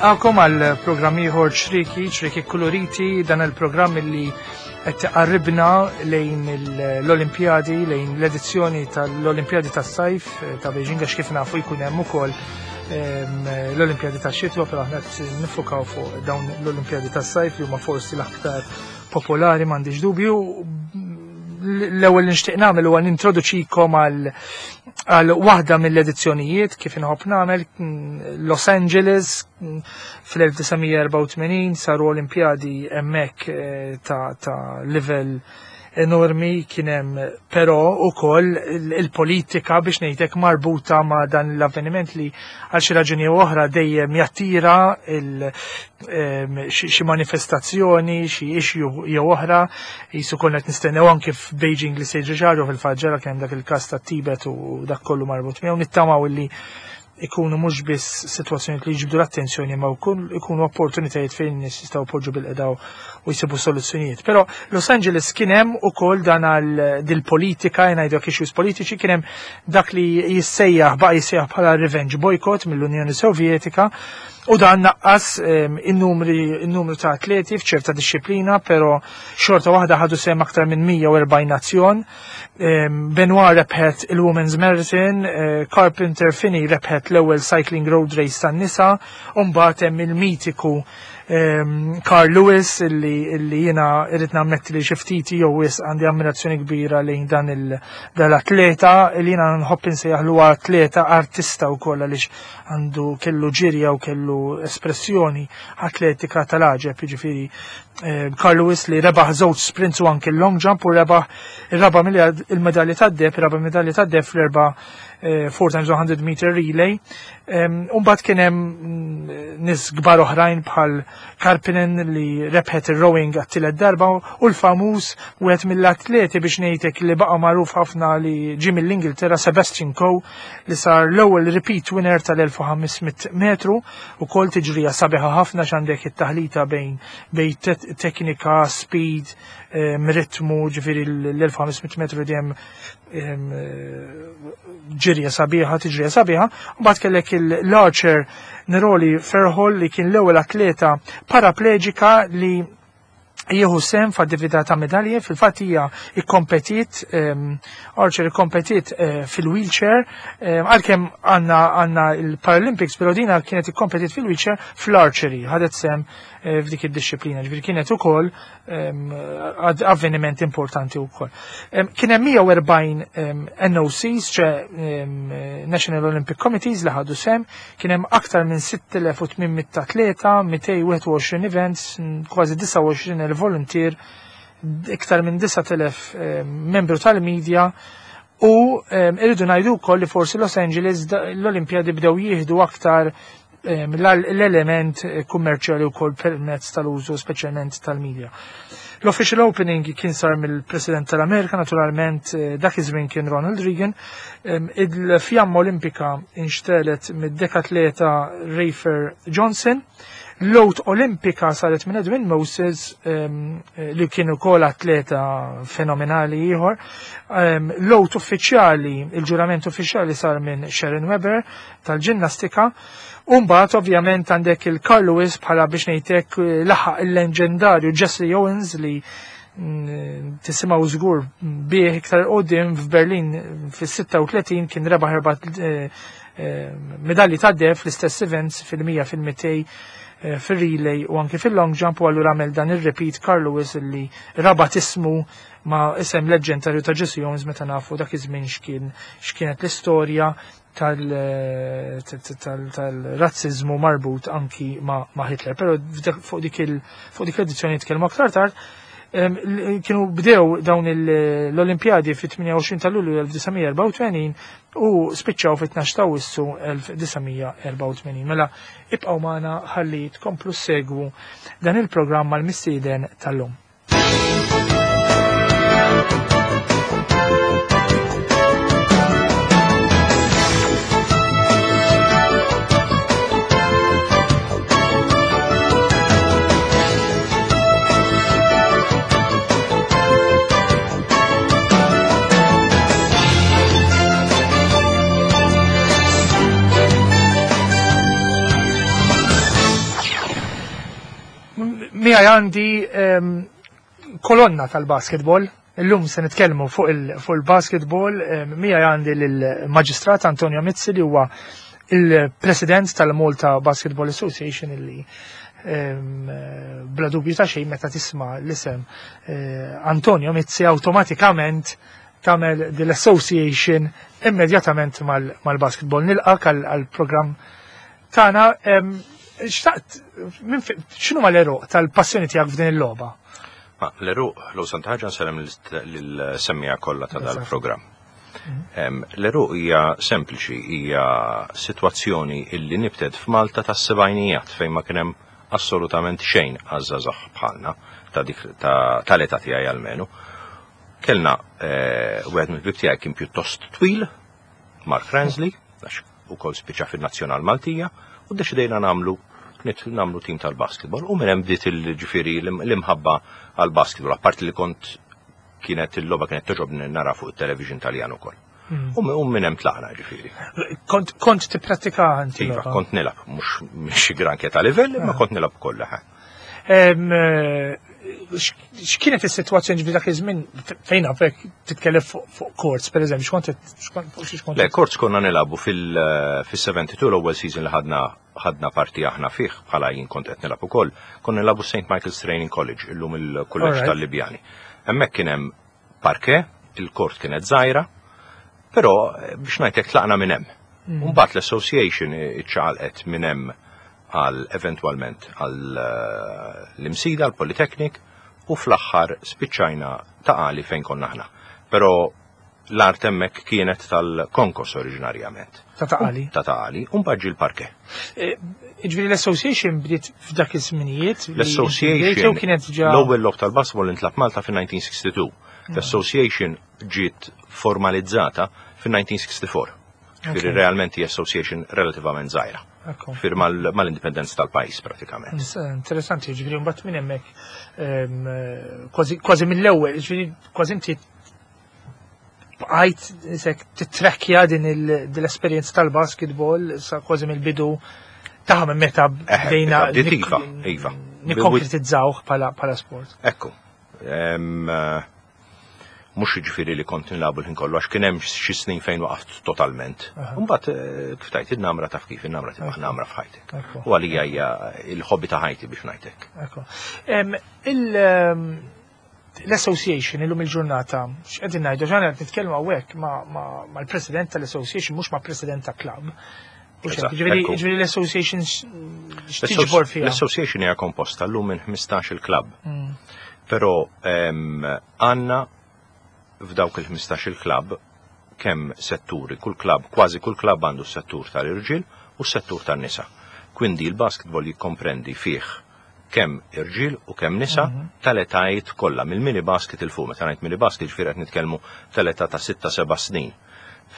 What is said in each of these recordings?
Nilqakom għal programm ieħor ċriki, ċriki kuluriti, dan il-programm li qed tiqarribna lejn l-Olimpjadi, lejn l-edizzjoni tal-Olimpjadi tas-sajf eh, ta' Beijing għax kif nafu jkun hemm ukoll ehm, l-Olimpjadi tax-xitwa, però aħna qed nifukaw fuq dawn l-Olimpjadi tas-sajf li huma forsi l-aktar popolari m'għandix dubju. L-ewwel li nixtieq nagħmel huwa nintroduċikom għal għal waħda mill-edizzjonijiet kif inħobb nagħmel Los Angeles fl-1984 saru Olimpjadi hemmhekk eh, ta', ta livell enormi kien hemm però ukoll il-politika biex ngħidlek marbuta ma' dan l-avveniment li għal xi raġuni oħra dejjem jattira xi manifestazzjoni, xi issue jew oħra, jisu konna qed nistennew anke f'Beijing li se jiġri ġarru fil-fatt ġara kemm dak il-każ tat-Tibet u dak kollu marbut miegħu nittamaw illi ikunu mhux biss sitwazzjonijiet li jiġbdu l-attenzjoni ma ikunu opportunitajiet fejn nies jistgħu jpoġġu bil-qedaw u jsibu soluzzjonijiet. Però Los Angeles kien hemm ukoll dan għal dil-politika, ngħidu issues politiċi, kien hemm dak li jissejjaħ baqa' jissejjaħ bħala revenge boycott mill-Unjoni Sovjetika u dan naqqas ehm, in-numru ta' atleti f'ċerta disċiplina, però xorta waħda ħadu sehem aktar minn 140 nazzjon. Ehm, Benoit rebħet il-Women's Marathon, eh, Carpenter Finney rebħet l-ewwel Cycling Road Race tan-nisa, u mbagħad hemm il-mitiku ehm, Carl Lewis illi, illi jiena irrid nammetti li xi ftit jew wis għandi ammirazzjoni kbira lejn dan l-atleta illi jiena nħobb insejjaħlu atleta artista wkoll għaliex għandu kellu ġirja u kellu espressjoni atletika tal-għaġeb, jiġifieri eh, Carl Lewis li rebaħ żewġ sprints u anki long jump u rebaħ ir-raba' il-medalja tad-deb, ir-raba' medalja tad-deb fl-erba' 4 eh, times 100 meter relay. Umbagħad kien hemm mm, nies kbar oħrajn bħal Karpinen li rebħet ir-rowing għat-tielet darba u l-famuż wieħed mill-atleti biex ngħidlek li baqa' magħruf ħafna li ġie mill-Ingilterra Sebastian Coe li sar l-ewwel repeat winner tal-1500 metru u kol tiġrija sabiħa ħafna x'għandek it-taħlita bejn bejn teknika, speed, ritmu, ġifieri l-1500 metru dejjem ġirja sabiħa, tiġrija sabiħa, u mbagħad kellek l-archer Neroli Ferhol li kien l-ewwel atleta parapleġika li jieħu sem f'attività ta' medalji, fil-fatt hija ikkompetiet, Archer ikkompetiet eh, fil-wheelchair, għalkemm għandna għandna il-Paralympics, però dina kienet ikkompetiet fil-wheelchair fl-archery, ħadet sem eh, f'dik id-disciplina, ġifieri kienet ukoll avveniment importanti wkoll. Kien hemm 140 NOCs, ċe National Olympic Committees li ħadu sem, kien hemm aktar minn 6800 atleta, 221 events, kważi 29,000 volunteer, iktar minn 9,000 membru tal-media, u irridu ngħidu wkoll li forsi Los Angeles l-Olimpjadi bdew jieħdu aktar l-element kummerċjali wkoll permezz tal-użu speċjalment tal-media. L-official opening kien sar mill-President tal-Amerika, naturalment eh, dak iż-żmien kien Ronald Reagan. Il-fjamma Olimpika inxtelet mid-dekatleta Rafer Johnson. L-oath Olimpika saret minn Edwin Moses li kien ukoll atleta fenomenali ieħor. L-oath uffiċjali, il-ġurament uffiċjali sar minn Sharon Weber tal-ġinnastika. Umbagħad ovvjament għandek il-Carl Lewis bħala biex ngħidlek eh, laħaq il-leġendarju Jesse Owens li mm, tisimgħu żgur bih iktar qudiem f'Berlin fis-36 kien rebaħ erba' eh, eh, medalji ta' deheb fl-istess events fil-100 fil-200 fil-relay u anki fil-long jump u allura għamel dan il-repeat Carl Lewis illi rabat ismu ma' isem leġendarju ta' Jesse Owens meta nafu dak iż-żmien x'kien x'kienet l-istorja tal-razzizmu marbut anki ma' Hitler. Pero fuq dik l-edizzjoni nitkellmu aktar tard. Kienu bdew dawn l-Olimpjadi fit-28 ta' Lulju 1984 u spiċċaw fit-12 ta' Awwissu 1984. Mela ibqgħu magħna ħalli tkomplu segwu dan il-programm mal-mistieden tal-lum. Miegħi għandi kolonna tal-basketball. Illum se nitkellmu fuq il-basketball. Miegħi għandi lill-Maġistrat Antonio Mizzi li huwa il-President tal-Malta Basketball Association illi bla dubju ta' xejn meta tisma' l-isem Antonio Mizzi awtomatikament tagħmel dil-association immedjatament mal-basketball. Nilqak għall-programm tagħna. Xtaqt, x'inhu ma l-eruq tal-passjoni tiegħek f'din il-logħba? Ma l-eruq, l sant ħaġa nsellem lill-semmija kollha ta' dal-programm. L-eruq hija sempliċi, hija sitwazzjoni illi nibtet f'Malta tas-sebgħinijat fejn ma kien hemm assolutament xejn għaż-żgħażagħ bħalna ta' dik tal-età tiegħi almenu. Kellna wieħed mill-ħbieb tiegħi kien pjuttost twil, Mark Ransley, għax ukoll spiċċa fin-Nazzjonal Maltija, u ddeċidejna nagħmlu nagħmlu tim tal-basketball u minn hemm bdiet il-ġifieri l-imħabba għall-basketball, apparti li kont kienet il-logħba kienet toġobni nara fuq it-television Taljan ukoll. U minn hemm tlaqna ġifieri. Kont tipprattika inti? Iva, kont nilgħab, mhux xi granke ta' livell, imma kont nilgħab kollha. X'kienet is-sitwazzjoni ġifieri dak iż-żmien fejn nafek titkellem fuq courts, pereżempju, x'kont x'kont Le, courts konna nilagħbu fil-72 l-ewwel season li ħadna ħadna parti aħna fih bħala jien kont qed nilgħab ukoll, konna nilagħbu St. Michael's Training College, illum il-kulleġġ tal-Libjani. Hemmhekk kien hemm parke, il-kort kienet żgħira, però biex ngħidlek tlaqna minn hemm. Mbagħad l-association iċċaqalqet minn hemm għal eventwalment għal l-Imsida, l-Polytechnic, u fl-aħħar spiċċajna Ta' Qali fejn konna aħna. Però l-art hemmhekk kienet tal-konkos oriġinarjament. Ta' Ta' Qali. Ta' Ta' Qali, u mbagħad ġie l-parke. Jiġifieri l-association bdiet f'dak iż-żminijiet. L-association kienet ġa. L-ewwel logħob tal-basketball intlagħab Malta fin-1962. L-association ġiet formalizzata fin-1964. Ġifieri realment hija association relativament żgħira. Ġifieri mal-indipendenza tal-pajjiż pratikament. Interessanti, ġifieri mbagħad minn hemmhekk kważi mill-ewwel, ġifieri kważi inti bqajt isek titrekkja din l-esperjenza tal-basketball sa kważi mill-bidu taħ minn meta bdejna iva, iva. nikkonkretizzawh bħala sport. Ekku. Mhux jiġifieri li kont nilagħbu l-ħin kollu għax kien hemm xi snin fejn waqaft totalment. Mbagħad kif tajt in-namra taf kif in-namra tibqa' namra f'ħajtek. U għalija hija l-hobby ta' ħajti biex ngħidlek. L-association illum il-ġurnata, x'qegħdin ngħidu ġana qed nitkellmu hawnhekk mal-president tal-association mhux ma' president ta' club. Ġifieri l-association x'tiġbor fiha? L-association hija komposta llum minn 15 il-club. Però għandna f'dawk il-15 il-club kemm setturi, kull club, kważi kull club għandu settur tal-irġiel u settur tan-nisa. Quindi il-basketball jikkomprendi fih kemm irġiel u kemm nisa tal-etajiet kollha, mill-mini basket 'il fuq. Meta ngħid mini basket ġifieri qed nitkellmu tal-età ta' 6-7 snin.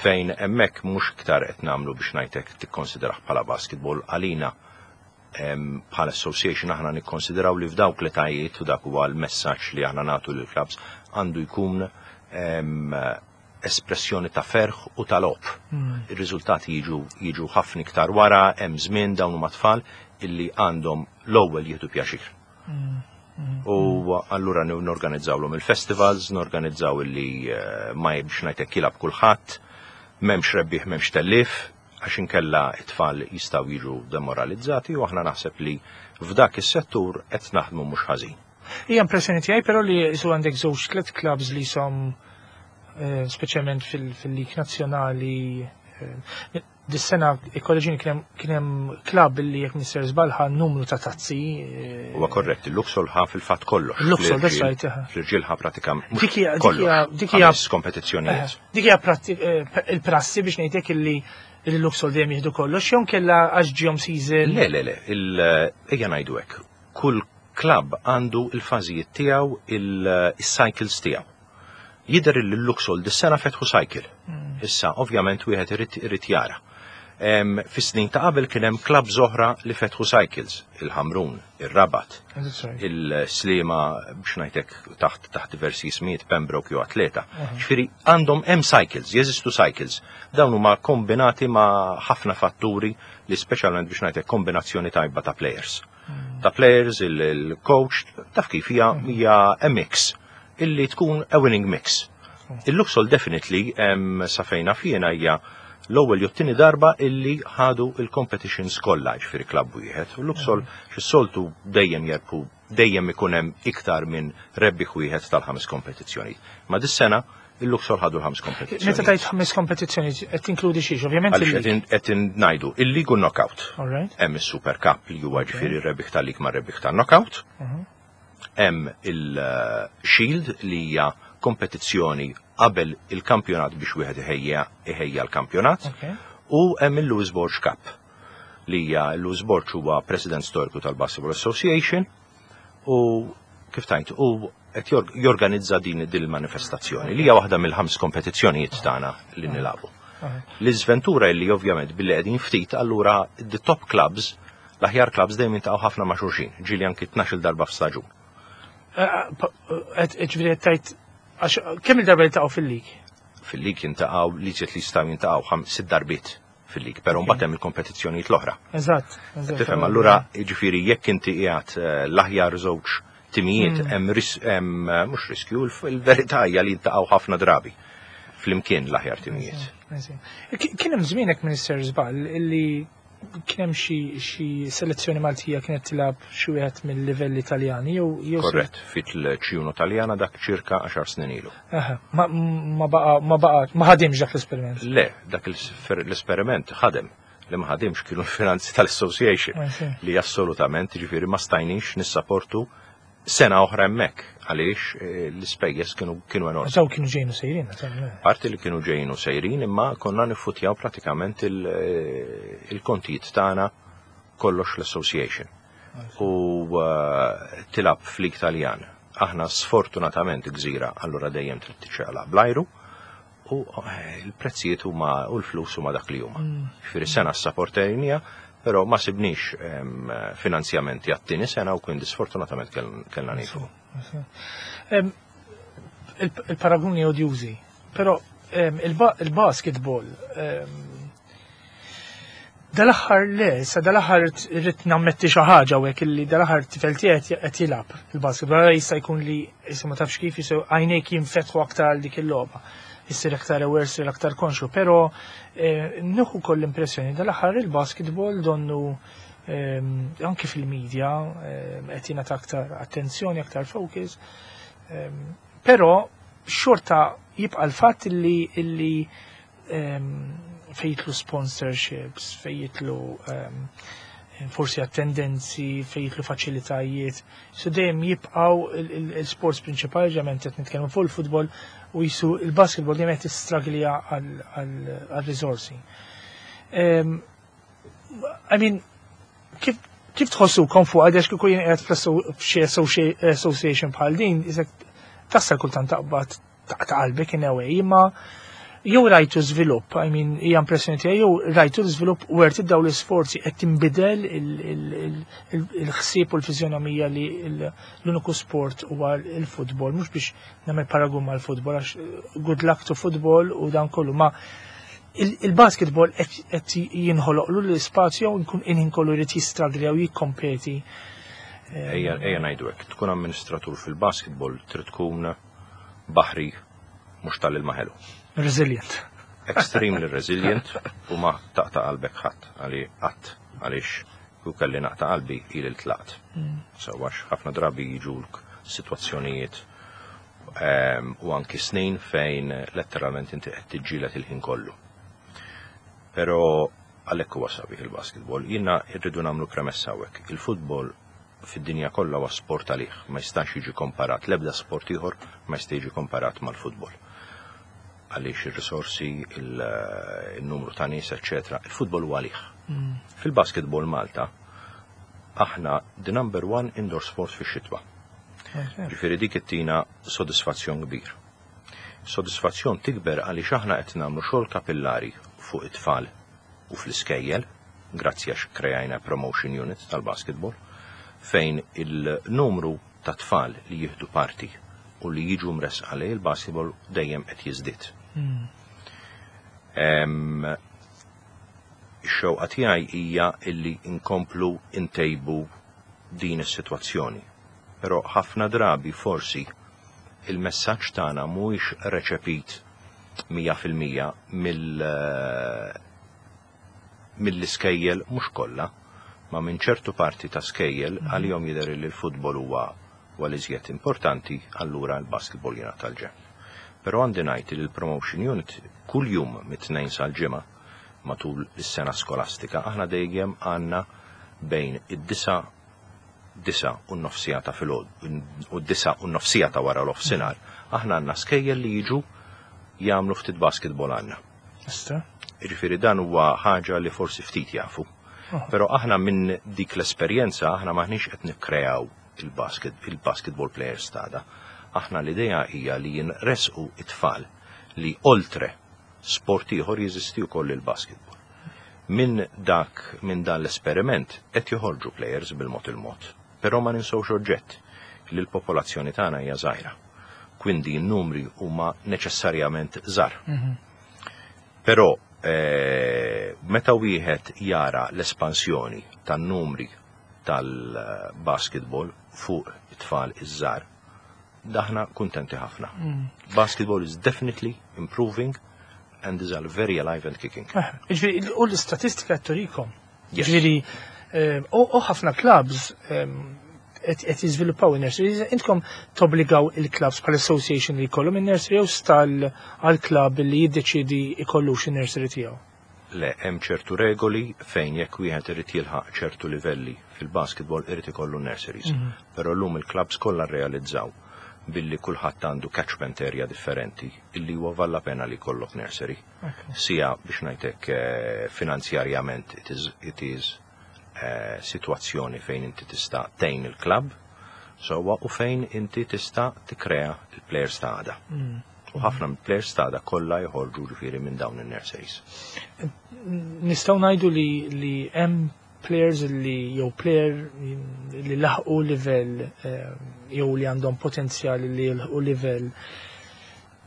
Fejn hemmhekk mhux iktar qed nagħmlu biex ngħidlek tikkonsidrah bħala basketball għalina bħala association aħna nikkonsidraw li f'dawk l-etajiet u dak huwa l-messaġġ li aħna nagħtu lill-clubs għandu jkun espressjoni ta' ferħ u ta' logħob. Ir-riżultati jiġu jiġu ħafna iktar wara, hemm żmien dawn huma tfal illi għandhom l-ewwel jieħdu pjaċir. U allura norganizzawlhom il-festivals, norganizzaw illi ma biex ngħidlek jilgħab kulħadd, m'hemmx rebbieħ m'hemmx tellief, għax inkella t-tfal jistgħu jiġu demoralizzati u aħna naħseb li f'dak is-settur qed naħdmu mhux ħażin. Hija impressjoni tiegħi però li jisu għandek żewġ tliet clubs li jisom speċjalment fil-lig nazzjonali. Dis-sena ikkoreġini kien hemm klabb li jekk mister żball ħa numru ta' tazzi. Huwa korrett, il-Luxol ħa fil-fatt kollox. Il-Luxol, that's right. Fl-irġiel ħa pratikament. Dik hija kompetizzjonijiet. Dik hija il-prassi biex ngħidlek illi il-Luxol dejjem jieħdu kollox, jew kella għax ġihom season. Le, le, le, ejja ngħidu hekk. Kull klabb għandu il-fażijiet tiegħu, il-cycles tiegħu. Jidher li l-Luxol dis-sena fetħu cycle. Issa, ovvjament, wieħed irid jara. Fis-snin ta' qabel kien hemm clubs oħra li fetħu cycles, il-Ħamrun, ir-Rabat, il-Sliema biex ngħidlek taħt diversi ismijiet, Pembroke jew Atleta. Ġifieri għandhom hemm cycles, jeżistu cycles. Dawn huma kombinati ma' ħafna fatturi li speċjalment biex ngħidlek kombinazzjoni tajba ta' players. Ta' players, il-coach, taf kif hija a mix illi tkun a winning mix. Il-Luxol definitely sa fejna fjena hija l-ewwel jew tieni darba illi ħadu il-competitions kollha ġifieri klabb wieħed. U Luxol xis-soltu dejjem jerbħu, dejjem ikun hemm iktar minn rebbieħ wieħed tal-ħames kompetizzjoni. Ma dis-sena il-Luxol ħadu l-ħames kompetizzjoni. Meta tajt ħames kompetizzjoni qed tinkludi xiex, ovvjament. Għaliex qed ngħidu il-League u knockout. Hemm is-Super Cup li huwa ġifieri rebbieħ tal-League ma' rebbieħ tan-knockout. Hemm il-Shield li hija kompetizzjoni qabel il-kampjonat biex wieħed iħejja l-kampjonat. U hemm il-Louis Borg Cup li hija Louis Borg huwa president storiku tal-Basketball Association u kif tajt u qed jorganizza din il-manifestazzjoni li hija waħda mill-ħames kompetizzjonijiet tagħna li nilagħbu. L-iżventura li ovvjament billi qegħdin ftit allura the top clubs, l-aħjar clubs dejjem jintaqgħu ħafna ma' xulxin, ġieli anki 12 darba f'staġun. Ġifieri qed tgħid għax kemm il-darba jiltaqgħu fil-lig? Fil-lig jintaqgħu li ġiet li jistgħu jintaqgħu sitt darbiet fil-lig, però mbagħad hemm il-kompetizzjonijiet l-oħra. Eżatt. Tifhem, allura jiġifieri jekk inti qiegħed l-aħjar żewġ timijiet hemm mhux riskju, il-verità hija li jintaqgħu ħafna drabi flimkien l-aħjar timijiet. Kien hemm żmienek Minister żball illi kien hemm xi selezzjoni Maltija kienet tilgħab xi wieħed mill-livelli Italjani jew Korrett, fit l-ċiuno Taljana dak ċirka 10 snin ilu. Aha, ma baqa, ma baqa, ma ħadimx dak l-esperiment. Le, dak l-esperiment ħadem. Li ma ħadimx kienu l-finanzi tal-association li assolutament ġifieri ma stajniex nissaportu sena oħra hemmhekk għaliex l-ispejjeż kienu enormi. Daw kienu ġejnu sejrin, naturalment. Parti li kienu ġejnu sejrin imma konna niffutjaw pratikament il-kontijiet tagħna kollox l-association. U tilgħab f'League Taljan. Aħna sfortunatament gżira, allura dejjem trid tiċċaqlaq bl-ajru u il-prezzijiet huma u l-flus huma dak li huma. Ġifieri sena s-sapportejnija, però ma sibniex finanzjamenti għat-tieni sena u quindi sfortunatament kellna nieqfu. Il-paraguni odjużi, però il-basketball dal-aħħar le, sa dal-aħħar irrid nammetti xi ħaġa hawnhekk illi dal-aħħar tifel tiegħi qed jilgħab il-basketball, allura jista' jkun li issa ma tafx kif jista' għajnejk jinfetħu aktar għal dik il-logħba. Issir aktar aware, issir aktar konxu, però nieħu koll l-impressjoni dal-aħħar il-basketball donnu anke fil-medja qed jingħata aktar attenzjoni, aktar focus. Però xorta jibqa' l-fatt illi fejtlu sponsorships, fejtlu forsi attendenzi, fejtlu faċilitajiet. So dejjem jibqgħu il-sports prinċipali, ġament qed nitkellmu fuq il-futbol u jisu il-basketball dejjem qed tistraglja għal-riżorsi. I mean, kif tħossukom fuq għax kieku jien qiegħed f'xi association bħal din, isek tassal kultant taqbad ta' qalbek in a way, imma jew rajtu żvilupp, I mean, hija impressjoni tiegħi, jew rajtu żvilupp u għerti daw l-isforzi qed tinbidel il-ħsieb u l-fiżjonomija li l-uniku sport huwa l-futbol, mhux biex nagħmel paragun mal-futbol, għax good luck to football u dan kollu, ma il-basketball qed jinħoloqlu l-ispazju nkun inħin kollu jrid jistragli jew jikkompeti. Ejja ngħidu hekk, tkun amministratur fil-basketball trid tkun baħri mhux tal-ilma ħelu. Resilient. Extremely resilient u ma taqta' qalbek ħadd għali qatt għaliex ku kelli naqta' qalbi ili tlaqt. Sewwax ħafna drabi jiġulk sitwazzjonijiet u anki snin fejn letteralment inti qed tiġġieled il-ħin kollu. Però għalhekk huwa sabiħ il-basketball. Jiena rridu nagħmlu premessa hawnhekk. Il-futbol fid-dinja kollha huwa sport għalih, ma jistax jiġi komparat, l-ebda sport ieħor ma jista' jiġi komparat mal-futbol. Għaliex ir-risorsi, il-numru ta' nies, eċċetera, il-futbol huwa għalih. Fil-basketball Malta, aħna the number one indoor sport fix-xitwa. Ġifieri dik ittina sodisfazzjon kbir. Sodisfazzjon tikber għaliex aħna qed nagħmlu xogħol kapillari fuq it-tfal u fl-iskejjel, grazzi għax kreajna promotion unit tal-basketball, fejn il-numru ta' tfal li jieħdu parti u li jiġu mresqa lejn il-basketball dejjem qed jiżdied. Ix-xewqa tiegħi hija illi nkomplu ntejbu din is-sitwazzjoni. Però ħafna drabi forsi il-messaġġ tagħna mhuwiex reċepit 100% mill-iskejjel, mhux kollha, ma minn ċertu parti ta' skejjel għalihom jidher li l-futbol huwa huwa l-iżjed importanti, allura l-basketball jingħata l-ġenb. Però għandi ngħid li l-promotion unit kull jum mit-Tnejn sal-Ġimgħa matul is-sena skolastika aħna dejjem għandna bejn id-9:30 ta' filgħodu u d-9:30 ta' wara l-offsinar aħna għandna skejjel li jiġu jagħmlu ftit basketball għandna. Ista? Jiġifieri dan huwa ħaġa li forsi ftit jafu. Però aħna minn dik l-esperjenza aħna maħniex qed nikkreaw il-basketball players tagħna. Aħna l-idea hija li jinresqu it-tfal li oltre sport ieħor jeżisti wkoll il-basketball. Minn dan l-esperiment qed joħorġu players bil-mod il-mod. Però ma ninsewx oġġett li l-popolazzjoni tagħna hija żgħira. Quindi n-numri huma neċessarjament żgħar. Però meta wieħed jara l-espansjoni tan-numri tal-basketball fuq it-tfal iż-żgħar, aħna kuntenti ħafna. Basketball is definitely improving and is very alive and kicking. Ġifieri, u l-istatistika turikom. Yes. Ġifieri, u ħafna clubs qed jiżviluppaw in-nurseries. Intkom tobbligaw il-clubs bħal association li jkollhom in-nursery jew stal għal-club li jiddeċidi jkollux in-nursery tiegħu? Le, hemm ċertu regoli fejn jekk wieħed irid jilħaq ċertu livelli fil-basketball irid ikollu nurseries. Però llum il-clubs kollha rrealizzaw billi kulħadd għandu catchment area differenti illi huwa valla pena li jkollok nursery. Sija biex ngħidlek finanzjarjament it is situazzjoni fejn inti tista' tgħin il-klabb sewwa u fejn inti tista' tikkrea il-players ta' għada. U ħafna mill-players ta' għada kollha joħorġu ġifieri minn dawn in-nurseries. Nistgħu ngħidu li hemm players li jew player li laħqu livell jew li għandhom potenzjal li jilħqu livell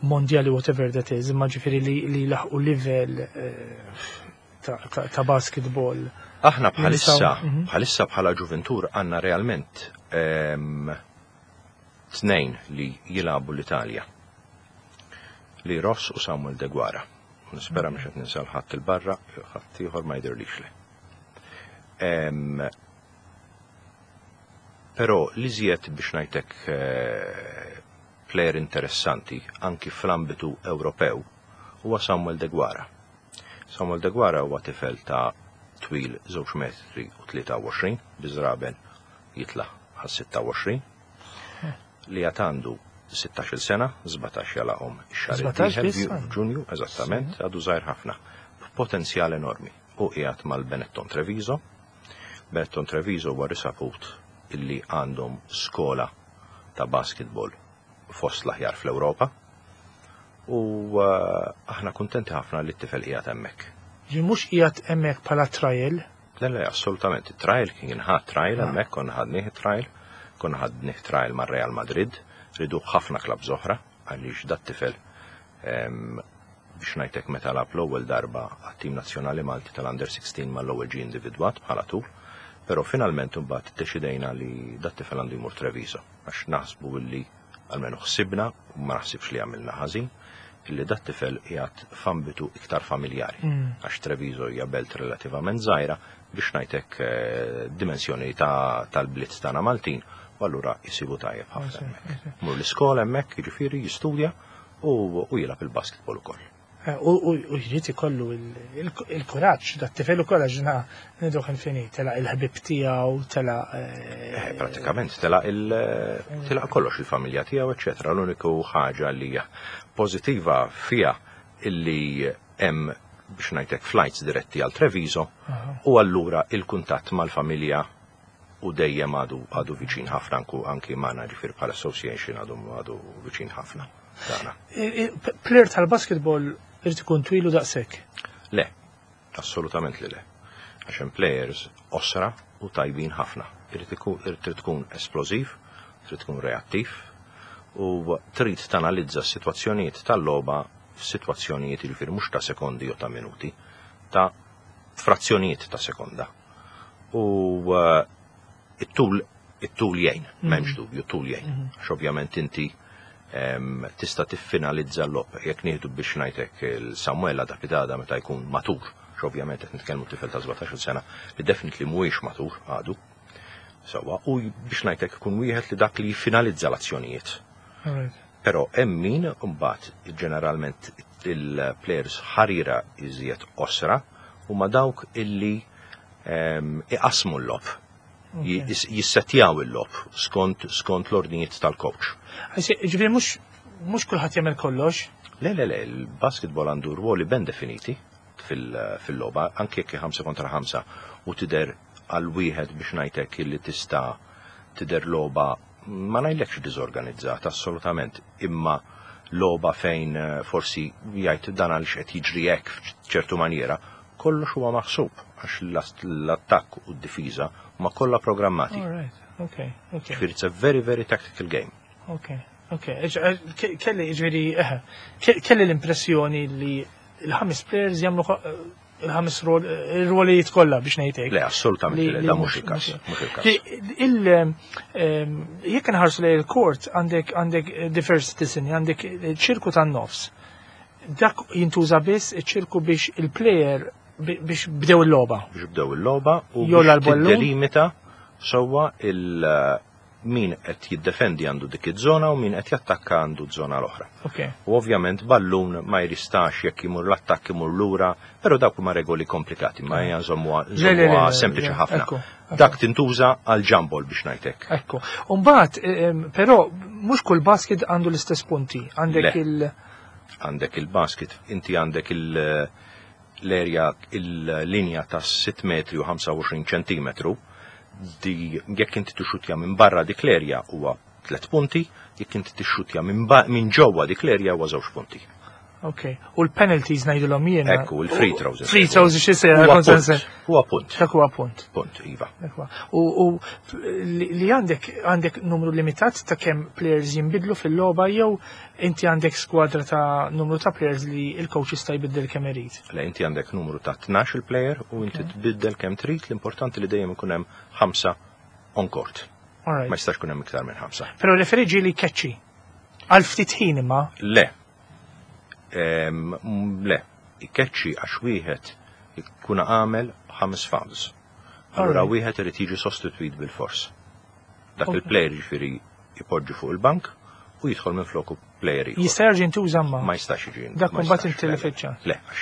mondjali, whatever that is, imma ġifieri li laħqu livell ta' basketball. Aħna bħalissa, bħalissa bħala ġuventur għandna realment tnejn li jilagħbu l-Italja. Li Ross u Samuel Deguara. Nispera mhux qed ninsa ħadd il-barra, ħadd ieħor ma jidhirlix le. Però li żjed biex ngħidlek player interessanti anki fl-ambitu Ewropew huwa Samuel Deguara. Samuel Deguara huwa tifel ta' twil 2 metri u 23, biżraben jitla għal 26, li għad għandu 16 sena, 17 jagħlaqhom ix-xahar 17 id-dieħel biss għandu? f'Ġunju, eżattament, għadu żgħir ħafna, b'potenzjal enormi. U qiegħed mal-Benetton Treviso. Benetton Treviso huwa risaput illi għandhom skola ta' basketball fost l-aħjar fl-Ewropa. U aħna kuntenti ħafna li t-tifel qiegħed hemmhekk. Ġi mhux qiegħed hemmhekk bħala trial? Le, assolutament. Trial kien ħadd trial hemmhekk, konna ħadnih trial, konna ħadnih trial mar Real Madrid, ridu ħafna clubs oħra għaliex dat tifel biex ngħidlek meta lagħab l-ewwel darba għat-tim nazzjonali Malti tal-Under 16 mal-ewwel ġie individwat bħala tul, però finalment imbagħad iddeċidejna li dat tifel għandu jmur Treviso għax naħsbu illi almenu ħsibna u ma naħsibx li għamilna ħażin illi dat tifel qiegħed f'ambitu iktar familjari. Għax Treviso hija belt relativament żgħira biex ngħidlek dimensjoni tal-bliet tagħna Maltin, u allura jisibu tajjeb ħafna hemmhekk. Mur l-iskola hemmhekk, jiġifieri jistudja u jilgħab il-basketball ukoll. U jrid ikollu il-kuraġġ, dat tifel ukoll għax na niduh infinit, telaq il-ħbib tiegħu, telaq. Pratikament telaq il telaq kollox il-familja tiegħu, eċetera. L-uniku ħaġa li hija pożittiva fiha illi hemm biex ngħidlek flights diretti għal Treviso u allura il-kuntatt mal-familja u dejjem għadu viċin ħafna anki magħna ġifier bħala association għadu viċin ħafna. Tagħna. Player tal-basketball irid ikun twilu daqshekk. Le, assolutament li le. Għax hemm players qosra u tajbin ħafna. Irid trid tkun esplożiv, trid tkun reattiv u trid tanalizza s-sitwazzjonijiet tal-logħba f'sitwazzjonijiet jiġifieri mhux ta' sekondi jew ta' minuti, ta' frazzjonijiet ta' sekonda. U it-tul jgħin, m'hemmx dubju, tul jgħin. Għax ovvjament inti tista' tiffinalizza l-logħob. Jekk nieħdu biex ngħidlek il-Samuela da Pidada meta jkun matur, għax ovvjament qed nitkellmu tifel ta' 17 sena li definitely mhuwiex matur għadu. Sewwa, u biex ngħidlek ikun wieħed li dak li jiffinalizza l-azzjonijiet. Però hemm min mbagħad ġeneralment il-players ħarira iżjed qosra huma dawk illi iqasmu l-logħob. Jissetjaw il-logħob skont l-ordnijiet tal-coach. Ġifieri mhux kulħadd jagħmel kollox? Le, le, le, il-basketball għandu rwoli ben definiti fil-logħba, anke jekk 5 kontra 5 u tidher għal wieħed biex ngħidlek illi tista' tidher logħba ma ngħidlekx diżorganizzata assolutament, imma logħba fejn forsi jgħid dan għaliex qed jiġri hekk f'ċertu maniera, kollox huwa maħsub għax l-attakk u d-difiża huma kollha programmati. All right, okay. Ġifieri it's a very, very tactical game. Okay. Kelli, ġifieri, kelli l-impressjoni li il-ħames players jagħmlu il-ħames il-rwolijiet kollha biex ngħidlek. Le, assolutament le, da mhux il-każ. Mhux il-każ. Jekk nħarsu lejn il-court għandek diversi disinji, għandek ċirku tan-nofs. Dak jintuża biss iċ-ċirku biex il-player biex bdew il-logħba. Biex bdew il-logħba u Jew biex l-ballun. tiddelimita sewwa il min qed jiddefendi għandu dik iż-żona u min qed jattakka għandu żona l-oħra. U ovvjament ballun ma jristax jekk imur l-attakk imur lura, però dawk huma regoli komplikati, ma hija nżommuha Le, le, le, nżommuha le, sempliċi le, ħafna. Ekku. Dak tintuża għal jump ball biex ngħidlek. Ekku. Umbagħad, però mhux kull basket għandu l-istess punti. Għandek Le. il- Għandek il-basket, inti għandek l-area, il-linja ta' 6 metri u 25 ċentimetru, di jekk inti tixxutja minn barra dik l-area huwa 3 punti, jekk inti tixxutja minn ġewwa dik l-area huwa 2 punti. Ok. U l-penalties ngħidulhom jiena. Ekku, il-free throws. Free throws xi se Huwa kont punt. se- Huwa punt. Dak huwa punt. Punt, iva. Dak huwa. U li għandek numru limitat ta' kemm players jinbidlu fil-logħba jew inti għandek skwadra ta' numru ta' players li il-coach jista' jbiddel kemm irid. Le, inti għandek numru ta' 12 il-player u inti tbiddel kemm trid, l-importanti li dejjem ikun hemm 5 on court. All right. Ma jistax ikun hemm iktar minn 5. Però referee ġieli jkeċċi. Għal ftit ħin imma. Le. Le, ikeċċi għax wieħed ikun għamel 5 fouls. Allura wieħed irid jiġi sostitwit bil-fors. Dak il-player ġifieri ipoġġi fuq il-bank u jidħol minn floku player ieħor. Jista' jerġa' jintuża ma. Ma jistax jiġi. Dak ma mbagħad jistax, inti le, li le. fiċċa. Le, għax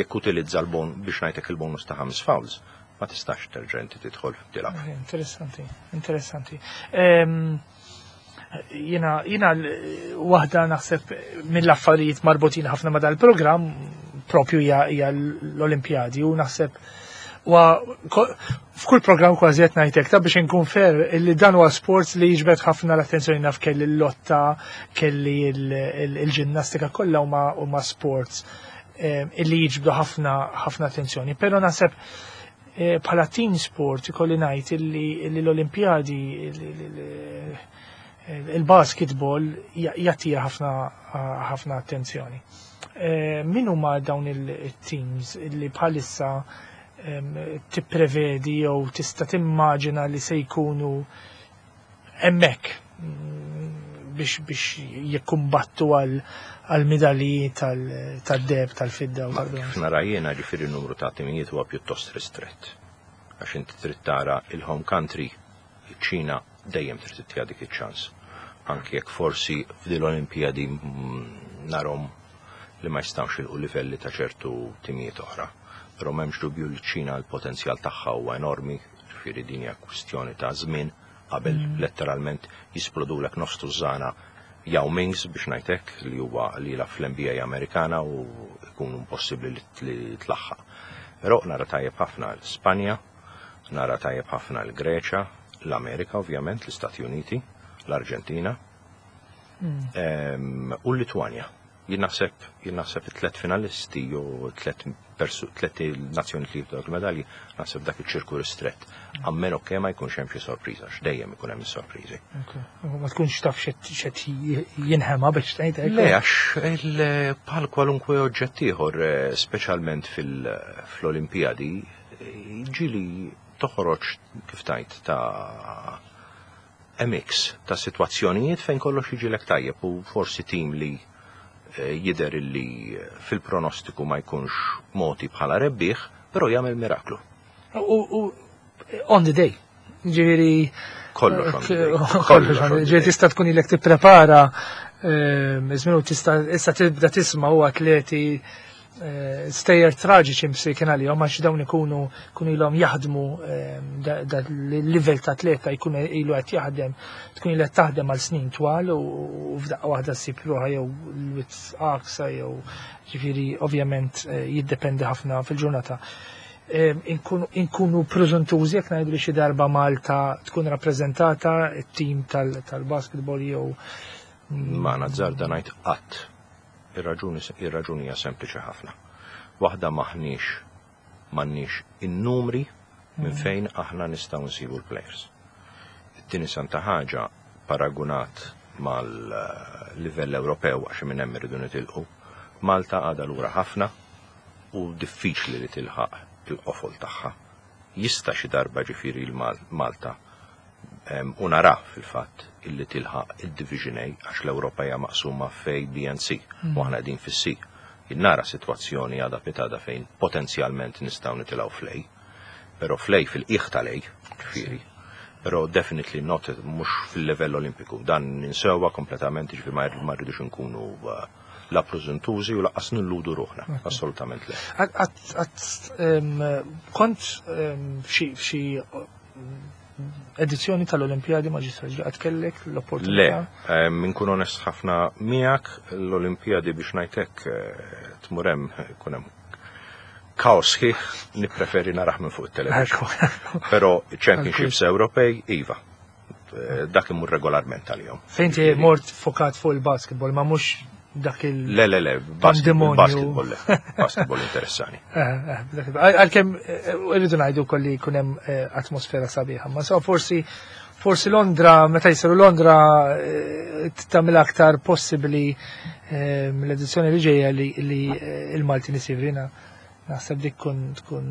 jekk utilizza l-bon biex ngħidlek il-bonus ta' 5 fouls, ma tistax terġa' inti tidħol tilgħab. Interessanti, interessanti. Jiena waħda naħseb mill-affarijiet marbutin ħafna ma dal-programm propju hija l-Olimpjadi u naħseb f'kull programm kważi qed ngħidlek ta' biex inkun fair illi dan huwa sports li jiġbed ħafna l-attenzjoni, naf kelli l-lotta, kelli il-ġinnastika, kollha huma sports illi jiġbdu ħafna ħafna attenzjoni. Però naħseb bħala team sport ikolli ngħid illi l-Olimpjadi il-basketball jattira ħafna ħafna attenzjoni. Min huma dawn il-teams illi bħalissa tipprevedi jew tista' timmaġina li se jkunu hemmhekk biex jikkumbattu għal medalji tad-deheb, tal-fidda u Ma tal-bronż? Kif nara jiena, ġifieri n-numru ta' timijiet huwa pjuttost ristrett. Għax inti trid tara il-home country, iċ-Ċina dejjem trid tittiha dik iċ-ċans. Anki jekk forsi f'din l-Olimpijadi narhom li ma jistgħux jilħqu livelli ta' ċertu timijiet oħra. Però m'hemmx dubju li ċ-Ċina l-potenzjal tagħha huwa enormi, ġifieri din hija kwistjoni ta' żmien qabel letteralment jisplodulek nofs tużżana Yao Mings, biex ngħidlek, li huwa li jilgħab fl-NBA Amerikana u jkun impossibbli li tlaħħaq. Però nara tajjeb ħafna l-Spanja, nara tajjeb ħafna l-Greċa, l-Amerika ovvjament, l-Istati Uniti, l-Arġentina u l-Litwanja. Jien naħseb it-tlet finalisti jew tlet nazzjoni li jibdu il-medalji, naħseb dak iċ-ċirku ristrett. A meno che ma jkunx hemm xi sorpriża, x'dejjem ikun hemm is-sorpriżi. Ma tkunx taf x'qed jinħema, biex tgħid hekk. Le, għax bħal kwalunkwe oġġett ieħor, speċjalment fl-Olimpijadi, ġieli toħroġ, kif tajt, ta' mix ta' situazzjonijiet fejn kollox jiġilek tajjeb u forsi tim li jidher illi fil-pronostiku ma jkunx moti bħala rebbieħ, però jagħmel miraklu. U on the day. Ġifieri Kollox on the day. Kollox on the day. Ġifieri tista' tkun ilek tipprepara żmien u tista' issa tibda tisma' u atleti stejjer traġiċi msikin għalihom, għax dawn ikunu kunu ilhom jaħdmu, da l-livell ta' atleta jkun ilu qed jaħdem, tkun ilu qed taħdem għal snin twal u f'daqqa waħda ssib ruħha jew l-wits għaksa jew, ġifieri, ovvjament jiddependi ħafna fil-ġurnata. Inkunu preżuntużi jekk ngħidu li xi darba Malta tkun rappreżentata, it-tim tal-basketball jew? Ma nazzarda ngħid qatt. Ir-raġuni hija sempliċi ħafna. Waħda, maħniex m'għandniex in-numri minn fejn aħna nistgħu nsibu l-players. It-tieni santa ħaġa, paragunat mal-livell Ewropew, għax minn hemm irridu nitilqu, Malta għadha lura ħafna u diffiċli li tilħaq il-qofol tagħha. Jista' xi darba, ġifieri, l-Malta u nara fil-fatt illi tilħaq il-Division A, għax l-Ewropa hija maqsuma f'A, B and C u aħna qegħdin fis-C. Nara sitwazzjoni għada pitgħada fejn potenzjalment nistgħu nitilgħu fl-A, però fl-A, fil-qiegħ tal-A, ġifieri. Però definitely not, mhux fil-livell olimpiku. Dan ninsewha kompletament, ġifieri ma rridux nkunu la preżuntużi u lanqas nilludu ruħna. Assolutament le. Kont f'xi edizzjoni tal-Olimpijadi, Maġistru, għad kellek l-opportunità? Le, inkun onest ħafna miegħek, l-Olimpijadi, biex ngħidlek, tmur hemm ikun hemm kaos ħieħ, nippreferi narah minn fuq it-television. Però Championships Ewropej, iva. Dak imur regolarment għalihom. Fejn ti mort fokat fuq il-basketball, ma mhux dak il- Le, le, le, Pandemonju. Basketball, le. Basketball interessani. Għalkemm irridu ngħidu kolli jkun hemm atmosfera sabiħa. Ma so forsi Londra, meta jisiru Londra, tagħmel aktar possibbli l-edizzjoni li ġejja li il-Malti nisivrina. Naħseb dik tkun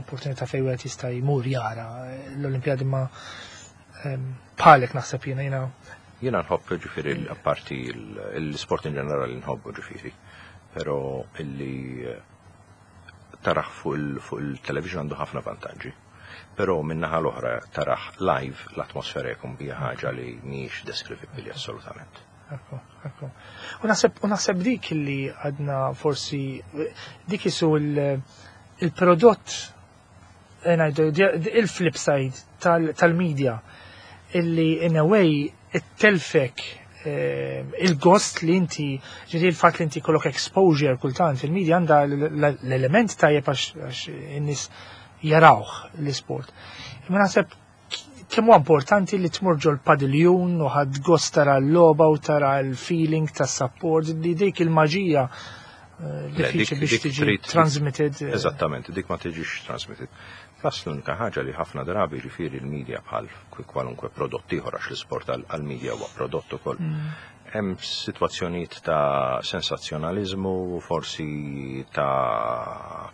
opportunità fejn wieħed jista' jmur jara l-Olimpjadi, ma bħalek naħseb jiena Jiena nħobb, ġifieri, apparti l-sport in ġenerali nħobbu, ġifieri, però illi tarah fuq il-television għandu ħafna vantaġġi. Però min-naħa l-oħra tarah live, l-atmosfera jkun bija ħaġa li mhijiex deskrivibbli assolutament. Ekku. U naħseb dik li għadna forsi dik isu il-prodott, ngħidu, il-flip side tal-media illi in a way it-telfek il-gost li inti, ġifieri, il-fatt li inti kollok exposure kultant fil-media għandha l-element tajjeb għax in-nies jarawh l-isport. Imma naħseb kemm huwa importanti li tmur ġol padiljun u ħadd gost tara l-logħba u tara l-feeling tas-support, li dik il-maġija Le, diffiċli biex dik tiġi transmitted. Eżattament, dik ma tiġix transmitted. Plus l-unika ħaġa li ħafna drabi, ġifieri, l-media bħal kwalunkwe prodott ieħor, għax l-isport għal-media huwa prodott ukoll. Hemm sitwazzjonijiet ta' sensazzjonalizmu, forsi ta',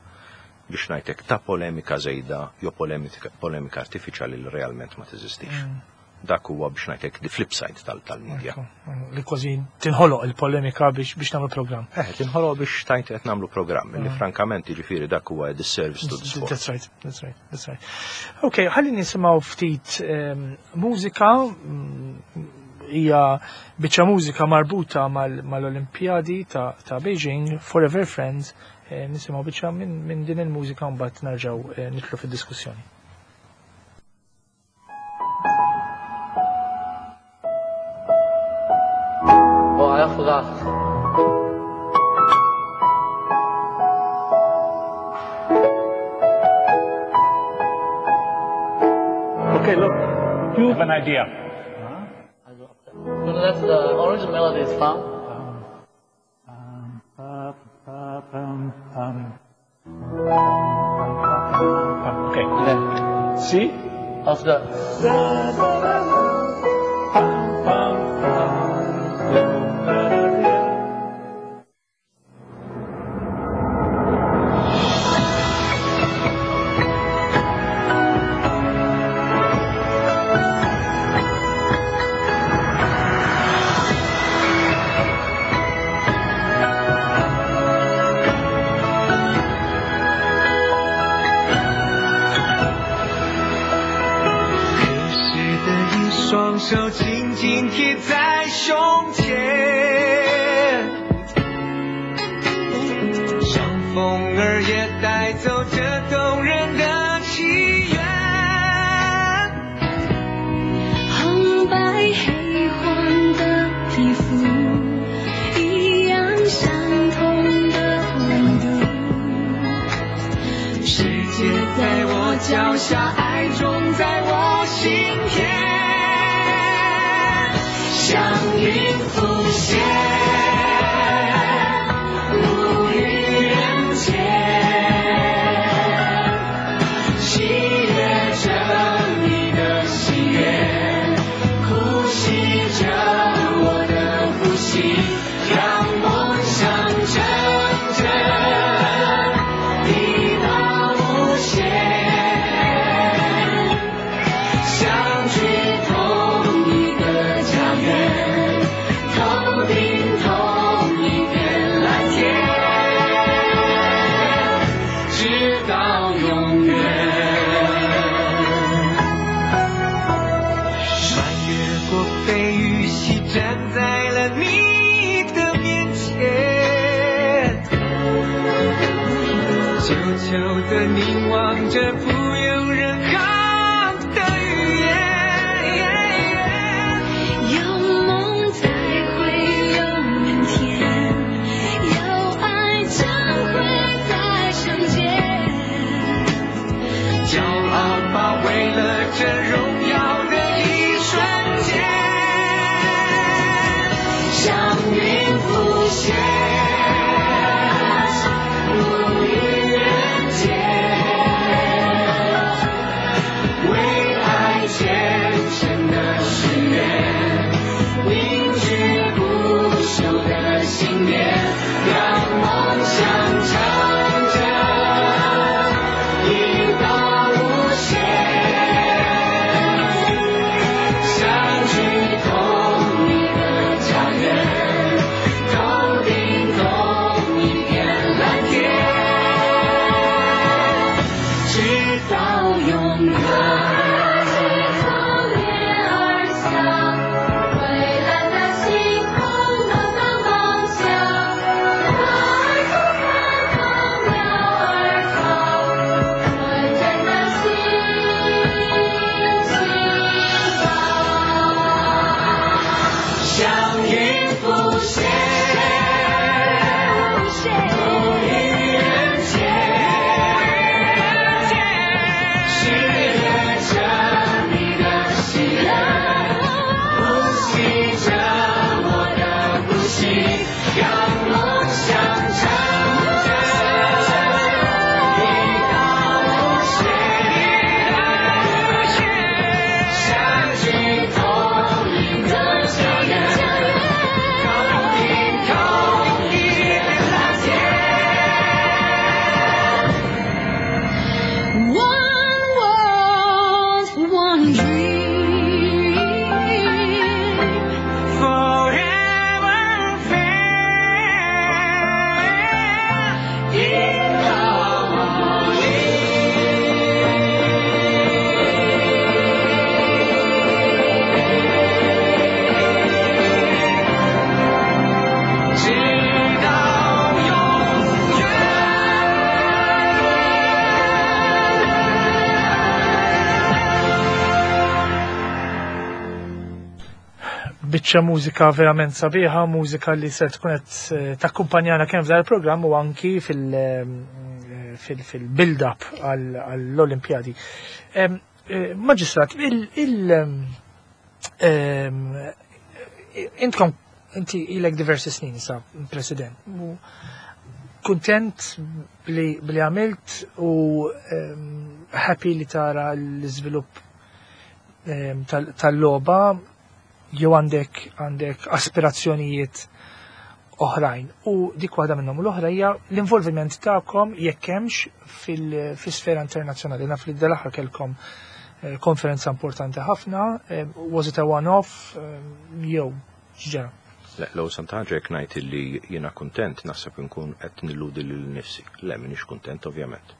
biex ngħidlek, ta' polemika żejda jew polemika artifiċjali li realment ma teżistix. Dak huwa, biex ngħidlek, the flip side tal-media. Ekku, li kważi tinħoloq il-polemika biex nagħmlu programm. Tinħoloq biex tajt qed nagħmlu programm, li frankament, jiġifieri, dak huwa disservice to the sport. That's right, that's right. Ok, ħalli nisimgħu ftit mużika. Hija biċċa mużika marbuta mal-Olimpjadi ta' Beijing, Forever Friends, nisimgħu biċċa minn din il-mużika mbagħad nerġgħu nidħlu fid-diskussjoni. Oh, I forgot. Okay, look, you have an idea. Huh? You know, that's the original melody is found. Okay. See? Of the. 手紧紧贴在胸前，让风儿也带走这动人的祈愿。红白黑黄的皮肤，一样相同的温度。世界在我脚下，爱种在我心田。像云浮现，无语人间，喜悦着你的喜悦，呼吸着我的呼吸，让梦想成真，抵达无限，相聚同一个家园。头顶同一片蓝天，直到永远。穿越过飞雨溪，站在了你的面前，久久的凝望着，不用任何的语言。有梦才会有明天，有爱将会再相见。骄傲吧，为了这荣耀的一瞬间，像云浮现，无语人间，为爱虔诚的誓愿，凝聚不朽的信念，让梦想成真，一到无限，相聚同一个家园，头顶同一片蓝天，直到永远。从月儿下，蔚蓝的星空的梦想，花儿开放，鸟儿唱，纯真的心情吧。像云浮现，无语人间，喜悦着你的喜悦，呼吸着我的呼吸，让梦想成真，一到无限，相聚同一个家园，头顶同一片蓝天， Biċċa mużika verament sabiħa, mużika li se tkun qed eh, takkumpanjana kemm f'dan il-programm u anki eh, fil-build-up għall-Olimpjadi. Eh, Maġistrat, il intkom inti ilek diversi snin sa president. Kuntent li għamilt u happy li tara l-iżvilupp tal-logħba jew għandek għandek aspirazzjonijiet oħrajn. U dik waħda minnhom u l-oħra hija l-involviment tagħkom jekk hemmx fil-sfera internazzjonali. Naf li dal-aħħar kellkom eh, konferenza importanti ħafna, eh, was it a one-off eh, jew x'ġara? Le, l santaġa jekk ngħid li jiena kuntent naħseb inkun qed nilludi lil nifsi. Le, m'iniex kuntent ovvjament.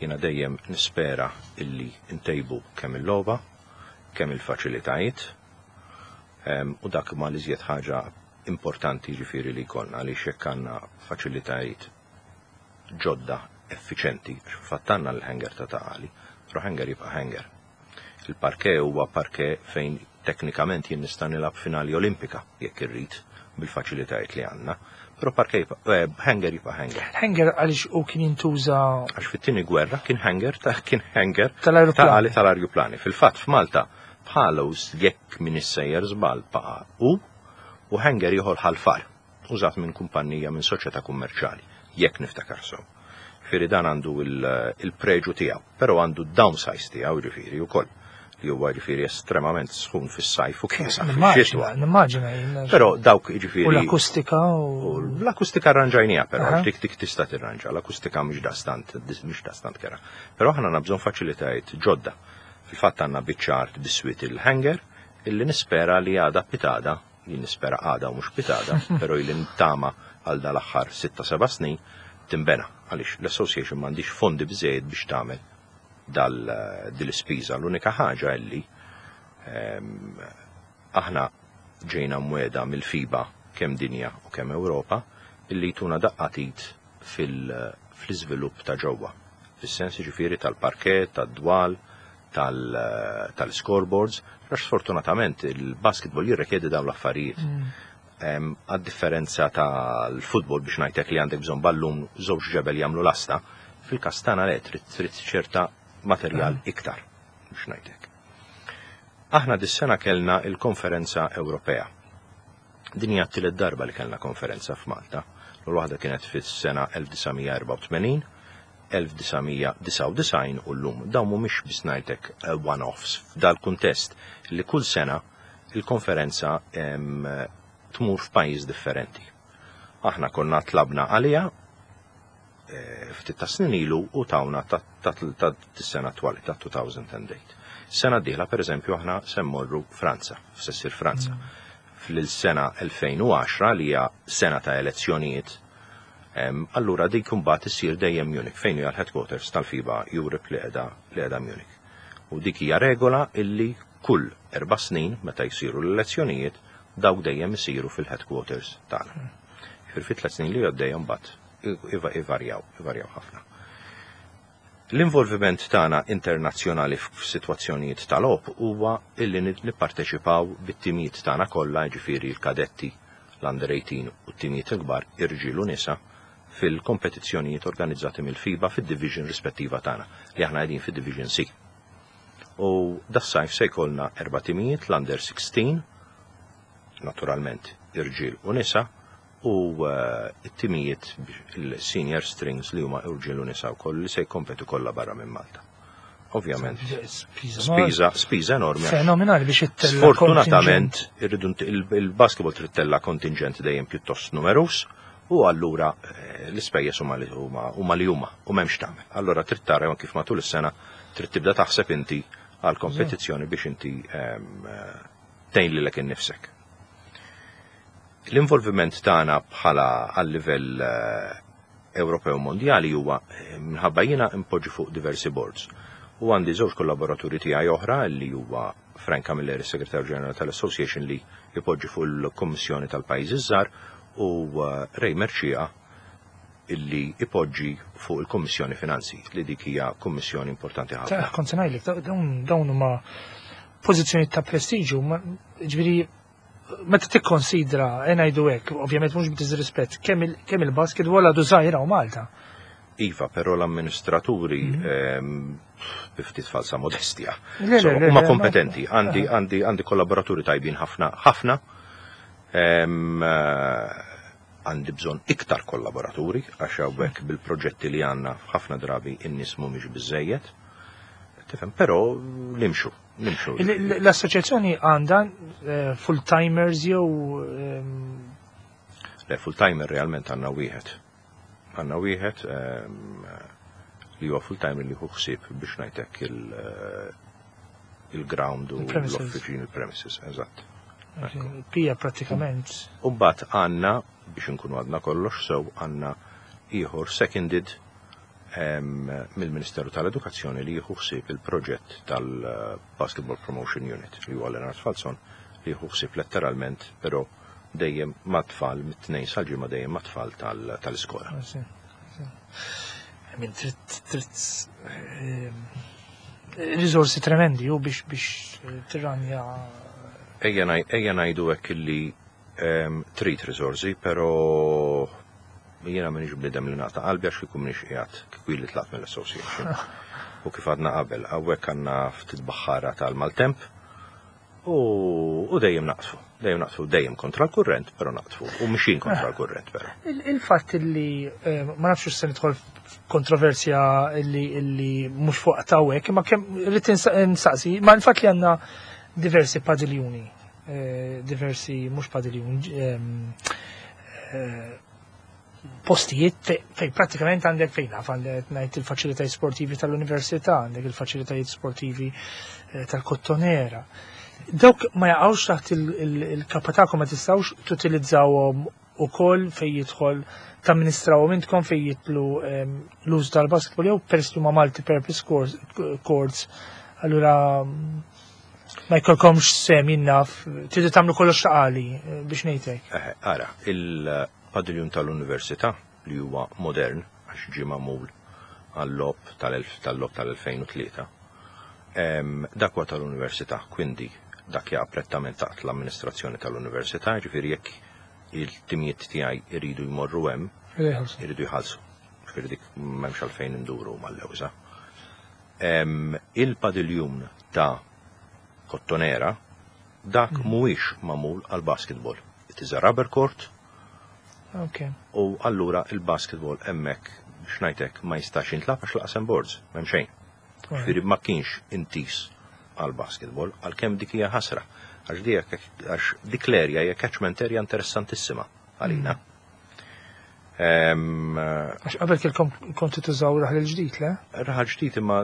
Jiena dejjem nispera illi ntejbu kemm il-logħba, kemm il-faċilitajiet, u dak ma l-iżjed ħaġa importanti ġifieri li jkollna għaliex jekk għandna faċilitajiet ġodda effiċenti, fatt għandna l-hangar ta' Ta' Qali, però hangar jibqa' hangar. Il-parquet huwa parquet fejn teknikament jien nista' nilgħab finali olimpika jekk irrid bil-faċilitajiet li għandna, però parquet hangar jibqa' hangar. Hangar għaliex u kien jintuża Għax fit-tieni gwerra kien hangar ta' kien hangar Tal-ajruplani. ta' tal-ajruplani. Fil-fatt f'Malta bħalu jekk min issejjer żball baqa' u hangar ieħor Ħal Far użat minn kumpanija minn soċjetà kummerċjali, jekk niftakar sew. Ġifieri dan għandu il-preġu tiegħu, però għandu downsize tiegħu ġifieri wkoll li huwa ġifieri estremament sħun fis-sajf u kiesaħ fix-xitwa. Nimmaġina, nimmaġina. Però dawk ġifieri U l-akustika u u. L-akustika arranġajnija però, għax dik dik tista' tirranġa, l-akustika mhix dastant kera. Però aħna għandna bżonn faċilitajiet ġodda. Fil-fatt għandna biċċa art biswit il-hangar illi nispera li għada pitgħada, jien nispera għada u mhux pitgħada, però illi ntama għal dal-aħħar 6-7 snin timbena għaliex l-association m'għandix fondi biżejjed biex tagħmel dal dil-ispiża. L-unika ħaġa illi aħna ġejna mwegħda mill-FIBA kemm dinja u kemm Ewropa illi jtuna daqqa t'id fil-iżvilupp ta' ġewwa. Fis-sens ġifieri tal-parquet, tad-dwal, tal-scoreboards, għax sfortunatament il-basketball jirrikjedi dawn l-affarijiet. Għad-differenza tal-futbol biex ngħidlek li għandek bżonn ballun żewġ ġebel jagħmlu lasta, fil-każ tagħna le trid ċerta materjal iktar biex ngħidlek. Aħna dis-sena kellna il-konferenza Ewropea. Din hija t-tielet darba li kellna konferenza f'Malta. L-waħda kienet fis-sena 1984, 1999 u llum. Dawn mhumiex biss ngħidlek one-offs. F'dal-kuntest li kull sena il-konferenza tmur f'pajjiż differenti. Aħna konna tlabna għalija ftit ta' snin ilu u tawna ta' sena attwali ta' 2008. Sena d-dieħla per eżempju aħna se mmorru Franza, se ssir Franza. Fil-sena 2010 li hija sena ta' elezzjonijiet, allura dik imbagħad issir dejjem Munich fejn hija l-headquarters tal-FIBA Europe li qiegħda Munich. U dik hija regola illi kull 4 snin meta jsiru l-elezzjonijiet dawk dejjem isiru fil-headquarters tagħna. Fil 3 snin li għaddejjem mbagħad ivarjaw, ivarjaw ħafna. L-involviment tagħna internazzjonali f'sitwazzjonijiet tal-logħob huwa illi nipparteċipaw bit-timijiet tagħna kollha, ġifieri l-kadetti, l-under 18 u t-timijiet il-kbar irġiel u nisa fil-kompetizzjonijiet organizzati mill-FIBA fid-division rispettiva tagħna li aħna qegħdin fid-Division C. U das-sajf se jkollna erba' timijiet l-under 16, naturalment irġiel u nisa, u it-timijiet il-senior strings li huma irġiel u nisa wkoll li se jkompetu kollha barra minn Malta. Ovvjament, spiża spiża enormi. Fenomenali biex ittella' Sfortunatament, irridu il-basketball trid tella' kontingent dejjem pjuttost numerus u allura l-ispejjeż huma li huma u m'hemmx tagħmel. Allura trid tara kif matul is-sena trid tibda taħseb inti għal kompetizzjoni biex inti tgħin lilek innifsek. L-involviment tagħna bħala għal livell Ewropew mondjali huwa minħabba jiena impoġġi fuq diversi boards. U għandi żewġ kollaboraturi tiegħi oħra li huwa Frank Camilleri, Segretarju Ġenerali tal-Association li jpoġġi fuq il-Kommissjoni tal-Pajjiżi Żgħar u Ray Mercieca illi ipoġġi fuq il-Kommissjoni Finanzi li dik hija kommissjoni importanti ħafna. Ta' kont se ngħidlek, dawn huma pożizzjoni ta' prestiġu, ġifieri Meta tikkonsidra, e ngħidu hekk, ovvjament mhux b'diżrispett, kemm il-basketball għadu żgħira u Malta. Iva, però l-amministraturi bi ftit falsa modestja. Le, So, le, le, huma le, kompetenti, għandi kollaboraturi tajbin ħafna ħafna. Għandi bżonn iktar kollaboraturi għax hawnhekk bil-proġetti li għandna ħafna drabi in-nies mhumiex biżejjed. Tifhem, però nimxu, nimxu. L-assoċjazzjoni għandha full-timers jew Le, full-timer realment għandna wieħed. Għandna wieħed li huwa full-timer li hu ħsieb biex ngħidlek il-ground u Il-premises. l-offiċin, il-premises, eżatt. Pija prattikament. U mbagħad għandna, biex nkunu għadna kollox sew, għandna ieħor seconded mill-Ministeru tal-Edukazzjoni li jieħu ħsieb il-proġett tal-Basketball Promotion Unit li huwa Leonard Falzon li jieħu ħsieb letteralment, però dejjem mat-tfal mit-Tnejn sal-Ġimgħa dejjem mat-tfal tal-iskola. I mean, trid risorsi tremendi u biex tirranja. Ejja ngħidu hekk illi trid risorsi, però jiena m'iniex bniedem li naqta' qalbi għax kieku m'iniex qiegħed kieku li tlaqt mill-association. U kif għadna qabel, hawnhekk għandna ftit baħħara tal-maltemp u dejjem naqtfu, dejjem naqtfu, dejjem kontra l-kurrent, però naqtfu, u mixin kontra l-kurrent, però. Il-fatt li ma nafx se nidħol f'kontroversja illi mhux fuq tawek, imma kemm rrid insaqsi, ma l-fatt li għandna diversi padiljuni, diversi mhux padiljuni, postijiet fej prattikament għandek fejn naf għandek ngħid il-faċilitajiet sportivi tal-università, għandek il-faċilitajiet sportivi tal-Kottonera. Dawk ma jaqgħux taħt il-kappa tagħkom, ma tistgħux tutilizzawhom ukoll fej jidħol tamministrawhom intkom fej jidħlu l-użu tal-basketball jew peress li huma multi-purpose courts, allura ma jkollkomx sem jinnaf, tridu tagħmlu kollox taqali biex ngħidlek. Ara, il-padiljun tal-Università li huwa modern għax ġie magħmul għall-logħob tal-logħob tal-2003. Dak huwa tal-Università, quindi dak jaqa' prettament taħt l-amministrazzjoni tal-Università, ġifieri jekk il-timijiet tiegħi iridu jmorru hemm, Iridu jħallsu. iridu jħallsu. Ġifieri dik m'hemmx għalfejn induru mal-lewża. Il-padiljun ta' Kottonera dak mhuwiex magħmul għal basketball. It is a rubber court. U allura il-basketball hemmhekk biex ngħidlek ma jistax jintlagħab għax lanqas hemm boards, m'hemm xejn. Ġifieri ma kienx intis għal basketball, għalkemm dik hija ħasra. Għax dik l-area hija catchment area interessantissima għalina. Għax qabel kelkom kontu tużaw Raħal il-Ġdid, le? Raħal Ġdid imma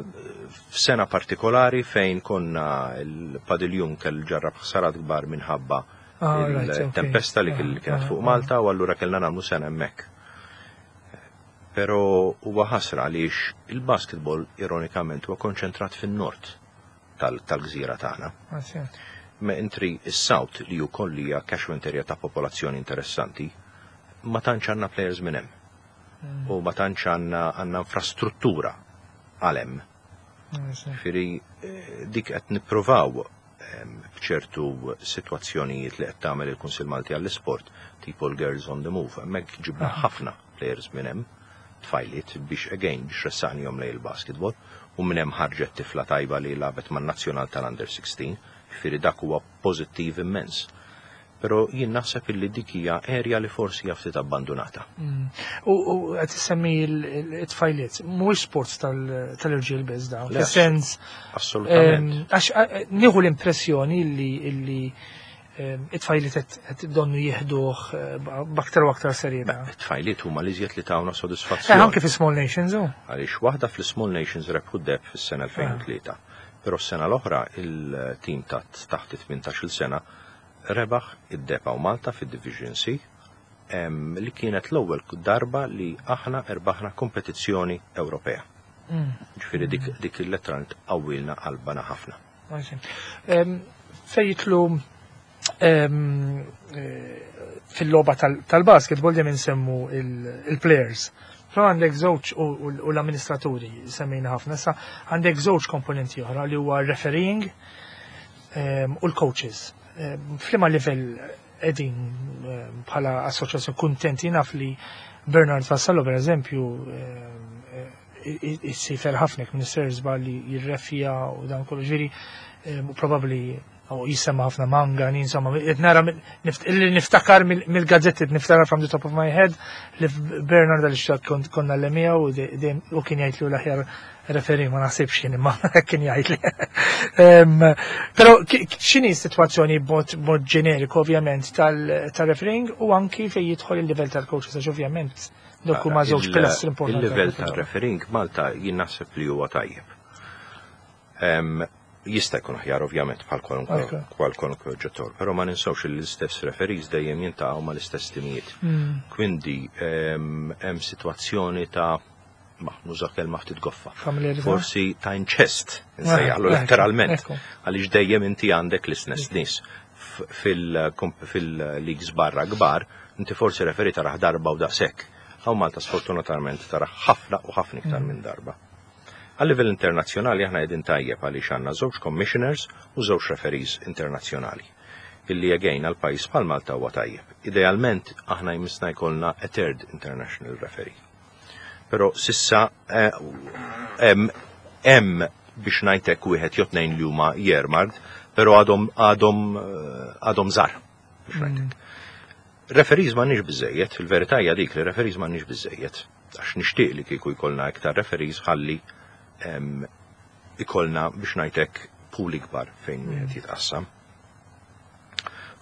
f'sena partikolari fejn konna il-padiljun kell ġarrab ħsarat kbar minħabba il-tempesta li kienet fuq Malta u allura kellna nagħmlu sena hemmhekk. Però huwa ħasra għaliex il-basketball ironikament huwa konċentrat fin-nord tal-gżira tagħna. Mentri is-South li wkoll hija catchment area ta' popolazzjoni interessanti, ma tantx għandna players minn hemm. U ma tantx għandna infrastruttura għal hemm. Ġifieri dik qed nippruvaw b'ċertu sitwazzjonijiet li qed tagħmel il-Kunsill Malti għall-Isport, tipo l-Girls on the Move, hemmhekk ġibna ħafna players minn hemm, tfajliet biex again biex ressaqnihom lejn il-basketball, u minn hemm ħarġet tifla tajba li lagħbet man-nazzjonal tal-Under 16, ġifieri dak huwa pożittiv immens. Però jien naħseb illi dik hija area li forsi hija ftit abbandonata. U qed issemmi it-tfajliet, mhuwiex sports tal-irġiel biss dawn. Le, Fis-sens, assolutament. Għax nieħu l-impressjoni illi it-tfajliet qed donnu jieħduh b'aktar u aktar serjetà. Beh, it-tfajliet huma li iżjed li tawna sodisfazzjon. Anke fi Small Nations, u. Għaliex waħda fl-Small Nations rebħu deheb fis-sena 2003. Però s-sena l-oħra il-tim ta' taħt 18-il sena rebaħ id-deheb hawn Malta fid-Division C, li kienet l-ewwel darba li aħna erbaħna kompetizzjoni Ewropea. Ġifieri dik il-letteralment qawwilna qalbana ħafna. Fej jitlu fil-logħba tal-basketball dejjem insemmu il-players. Però għandek żewġ u l-amministraturi semmejna ħafna, issa għandek żewġ komponenti oħra li huwa refereeing u l-coaches. F'liema livell qegħdin bħala assoċjazzjoni kuntenti naf li Bernard Vassallo per eżempju issifer ħafna minn Sersba li jirrefja u dan kollu ġifieri probabbli u jisema ħafna manga, insomma, qed nara li niftakar mill-gazzetti, niftakar from the top of my head li Bernard għal konna l-emija u kien jgħid li l-aħjar referi ma naħsibx jien imma kien jgħid li. Però x'inhi s-sitwazzjoni b'mod ġeneriku ovvjament tal-refereeing u anki fejn jidħol il-livell tal-coaches għax ovvjament dawk huma żewġ pilastri importanti. Il-livell tal-refereeing Malta jien naħseb li huwa tajjeb. Jista' jkun aħjar ovvjament bħal kwalunkwe oġġettor, però ma ninsewx li l-istess referees dejjem jintaqgħu mal-istess timijiet. Quindi hemm sitwazzjoni ta' ma nuża kelma ftit goffa. Forsi ta' inċest, nsejjaħlu letteralment, għaliex dejjem inti għandek l-istess nies. Fil-leagues barra kbar, inti forsi referee taraħ darba u daqshekk. Hawn Malta sfortunatament taraħ ħafna u ħafna iktar minn darba. Għal livell internazzjonali aħna qegħdin tajjeb għaliex għandna żewġ commissioners u żewġ referees internazzjonali. Illi again għal pajjiż bħal Malta huwa tajjeb. Idealment aħna jmissna jkollna a third international referee. Però sissa hemm biex ngħidlek wieħed jew tnejn li huma earmarked, però għadhom għadhom żgħar biex ngħidlek. Referees m'għandniex biżejjed, il-verità hija dik li referees m'għandniex biżejjed. Għax nixtieq li kieku jkollna iktar referees ħalli ikollna biex ngħidlek pool ikbar fejn wieħed jitqassam.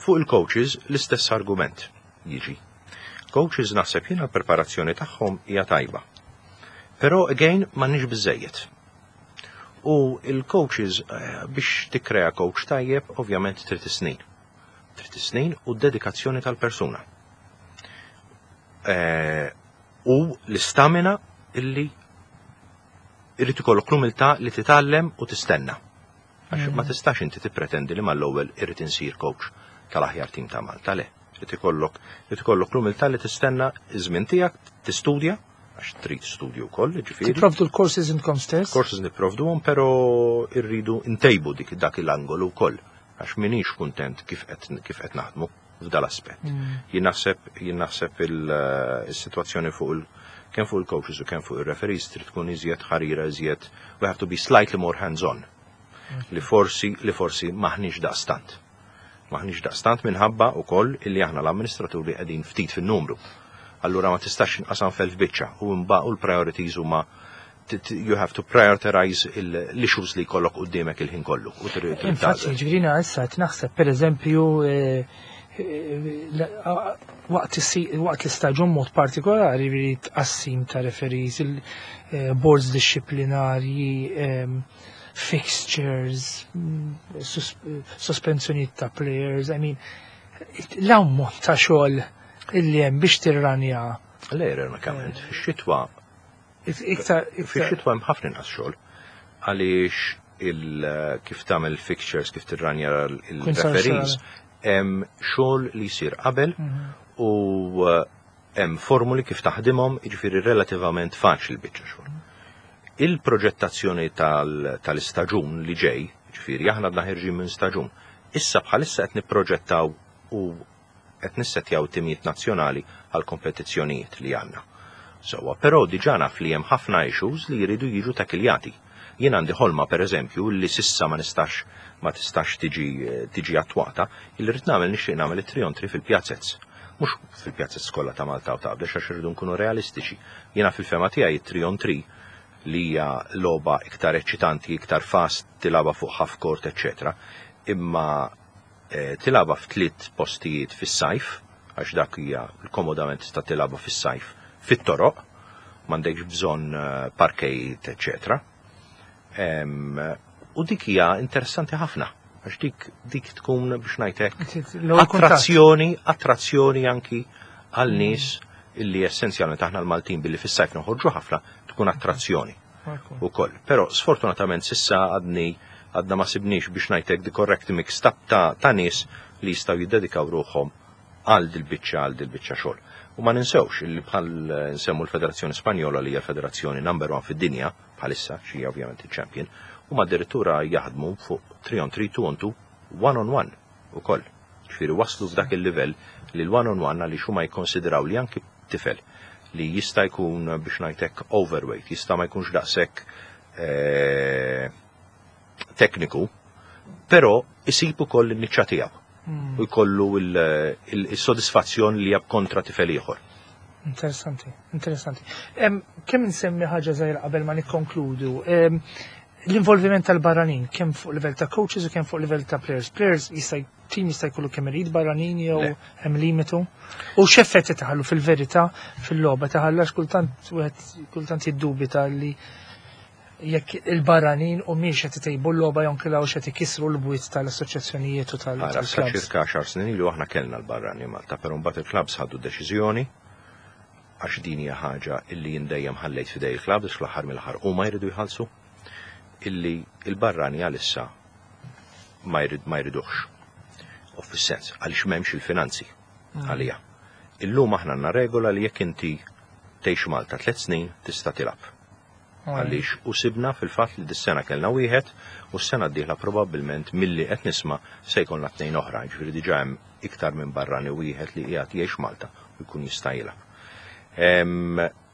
Fuq il-coaches l-istess argument jiġi. Coaches naħseb jiena l-preparazzjoni tagħhom hija tajba. Però again m'għandniex biżejjed. U il-coaches biex tikkrea coach tajjeb ovvjament trid is-snin. Trid is-snin u d-dedikazzjoni tal-persuna. U l-istamina illi irrid ikollok l-umiltà li titgħallem u tistenna. Għax ma tistax inti tippretendi li mal-ewwel irrid insir coach tal-aħjar tim ta' Malta, le. Irid ikollok l-umiltà li tistenna iż-żmien tiegħek, tistudja, għax trid studju wkoll, ġifieri. Tipprovdu l-courses intkom stess? Courses nipprovduhom, però irridu ntejbu dik dak il-angolu wkoll, għax minix kuntent kif qed naħdmu f'dal-aspett. Jien naħseb il-sitwazzjoni fuq il kemm fuq il-coaches u kemm fuq il-referees trid tkun iżjed ħarira, iżjed we have to be slightly more hands-on. Li forsi maħniex daqstant. Maħniex daqstant minħabba wkoll illi aħna l-amministraturi qegħdin ftit fin-numru. Allura ma tistax inqasam f'elf biċċa u mbagħad u l-priorities huma you have to prioritize l-issues li jkollok quddiemek il-ħin kollu. U trid Infatti, tagħżel. Ġifieri issa qed naħseb pereżempju waqt l-istaġun mod partikolari ġifieri tqassim ta' referees, il-boards disciplinarji, fixtures, sospensjonijiet ta' players, I mean, l-ammont ta' xogħol illi hemm biex tirranja Le, ironikament, fix-xitwa iktar iktar Fix-xitwa hemm ħafna inqas xogħol għaliex il kif tagħmel fixtures, kif tirranja il-referees, hemm xogħol li jsir qabel u hemm formuli kif taħdimhom, jiġifieri relattivament faċli biċċa xogħol. Il-proġettazzjoni tal-istaġun li ġej, ġifieri aħna għadna ħerġin minn staġun, issa bħalissa qed nipproġettaw u qed nissetjaw timijiet nazzjonali għal kompetizzjonijiet li għandna. Sewwa, però diġà naf li hemm ħafna issues li jridu jiġu takiljati. Jien għandi ħolma pereżempju li sissa ma tistax tiġi attwata, illi rrid nagħmel nixtieq nagħmel it-3 on 3 fil-pjazzez. Mhux fil-pjazzez kollha ta' Malta u ta' Għawdex għax irridu nkunu realistiċi. Jiena fil-fehma tiegħi it-3 on 3 li hija logħba iktar eċitanti, iktar fast, tilgħabha fuq half court, eccetera. Imma tilgħabha f'tliet postijiet fis-sajf, għax dak hija komodament tista' tilgħabha fis-sajf fit-toroq, m'għandekx bżonn parkejt, eccetera. U dik hija interessanti ħafna, għax dik tkun biex ngħidlek L-ewwel kuntatt. attrazzjoni anki għal nies illi essenzjalment aħna l-Maltin billi fis-sajf noħorġu ħafna tkun attrazzjoni ukoll. Però sfortunatament sissa għadna ma sibniex biex ngħidlek the correct mix ta' nies li jistgħu jiddedikaw ruħhom għal dil-biċċa xogħol. U ma ninsewx illi bħal nsemmu l-Federazzjoni Spanjola li hija l-federazzjoni number one fid-dinja bħalissa, xi ovvjament il-champion, u ma addirittura jaħdmu fuq 3 on 3, 2 on 2, 1 on 1. ukoll. Ġifieri waslu f'dak il-livell li l-one on one għaliex huma jikkonsidraw li anki tifel li jista' jkun, biex ngħidlek, overweight, jista' ma jkunx daqshekk tekniku, però isib ukoll in-niċċa tiegħu u jkollu il-sodisfazzjon li jab kontra tifel ieħor. Interessanti, interessanti. Kemm insemmi ħaġa żgħira qabel ma nikkonkludu. L-involviment tal-barranin, kemm fuq livell ta' coaches u kemm fuq livell ta' players. Players jista' team jista' jkollu kemm irid barranin jew Le. Hemm limitu? U x'effetti taħallu fil-verità fil-logħba taħallax kultant wieħed kultant jiddubita li jekk il-barranin u miex qed itejbu l-logħba jew inkella qed ikissru l-bwiet tal-assoċjazzjonijiet u Ara, sa tal-clubs. ċirka 10 snin ilu aħna kellna l-barrani Malta, però mbagħad il-clubs ħadu deċiżjoni, għax din hija ħaġa illi jien dejjem ħallejt f'idej il-clubs, fl-aħħar mill-aħħar huma jridu jħallsu, illi il-barrani għalissa ma jridux. U fis-sens, għaliex m'hemmx il-finanzi għalija. Illum aħna għandna regola li jekk inti tgħix Malta 3 snin tista' tilgħab. Għaliex u sibna fil-fatt li dis-sena kellna wieħed u s-sena d-dieħla probabbilment milli qed nisma' se jkollna tnejn oħra, ġifieri diġà hemm iktar minn barrani wieħed li qiegħed jgħix Malta u jkun jista' jilgħab.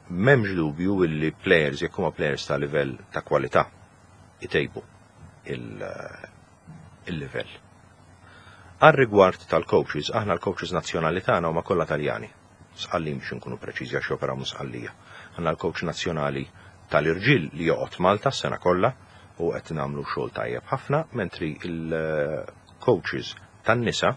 M'hemmx dubju illi players, jekk huma players ta' livell ta' kwalità, itejbu il-livell. Għal rigward tal-coaches, aħna l-coaches nazzjonali tagħna huma kollha Taljani. Sqallin biex nkunu preċiżi għax joperaw minn Sqallija. Għandna l-coach nazzjonali tal-irġiel li joqgħod Malta s-sena kollha u qed nagħmlu xogħol tajjeb ħafna, mentri il-coaches tan-nisa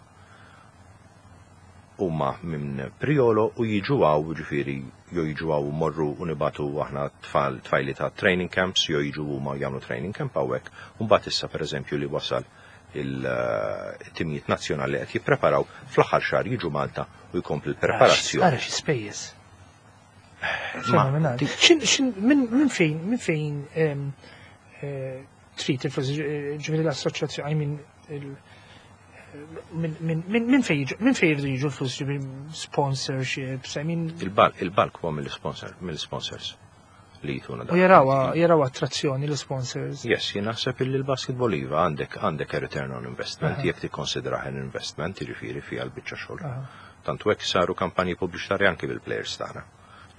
huma minn Priolo u jiġu hawn, ġifieri jew jiġu hawn u morru u nibagħtu aħna tfal tfajli ta' training camps jew jiġu huma jagħmlu training camp hawnhekk. U mbagħad issa, pereżempju, li wasal il-timijiet nazzjonali qed jippreparaw, fl-aħħar xahar jiġu Malta u jkompli l-preparazzjoni. Ara xi spejjeż. Fenomenali. Min fejn trid il-flus, ġifieri l-assoċjazzjoni, I mean, min fejn jridu jiġu l-flus, ġifieri sponsorships, I mean, Il-bulk huwa mill-sponsors li jtuna u jaraw attrazzjoni l-sponsors. Yes, jien naħseb illi l-basketball iva għandek a return on investment, jekk tikkonsidrah an investment, jiġifieri fiha l-biċċa xogħol. Tant hekk saru kampanji pubbliċitarji anki bil-players tagħna.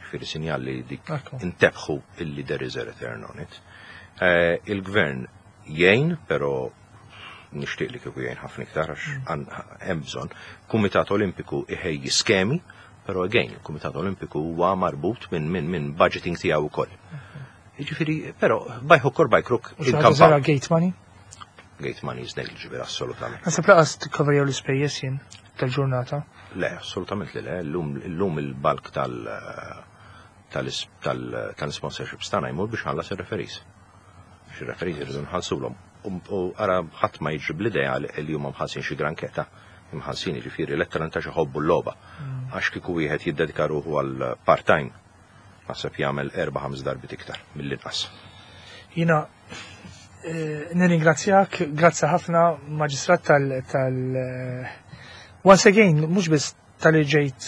Jiġifieri sinjal li dik intebħu illi there is a return on it. Il-gvern jgħin, però nixtieq li kieku jgħin ħafna iktar għax hemm bżonn. Kumitat Olimpiku iħejji skemi, però again, il-Kumitat Olimpiku huwa marbut minn budgeting tiegħu wkoll. Jiġifieri, però by hook or by crook U xi ħaġa żgħira, gate money? Gate money is negligible, assolutament. Naħseb lanqas tikkoverjaw l-ispejjeż jien tal-ġurnata. Le, assolutament li le. Illum il-bulk tal-sponsorships tagħna jmur biex ħallas ir-referees. Xi referees irridu nħallsulhom. U ara ħadd ma jiġri bl-idea li huma mħallsin xi granketa. Imħallsin jiġifieri letteralment għax iħobbu l-logħba. Għax kieku wieħed jiddedika ruħu għal part-time, naħseb jagħmel erba' ħames darbit iktar mill-inqas. Jiena nirringrazzjak, grazzi ħafna, Maġistrat, tal once again, mhux biss tal-li ġejt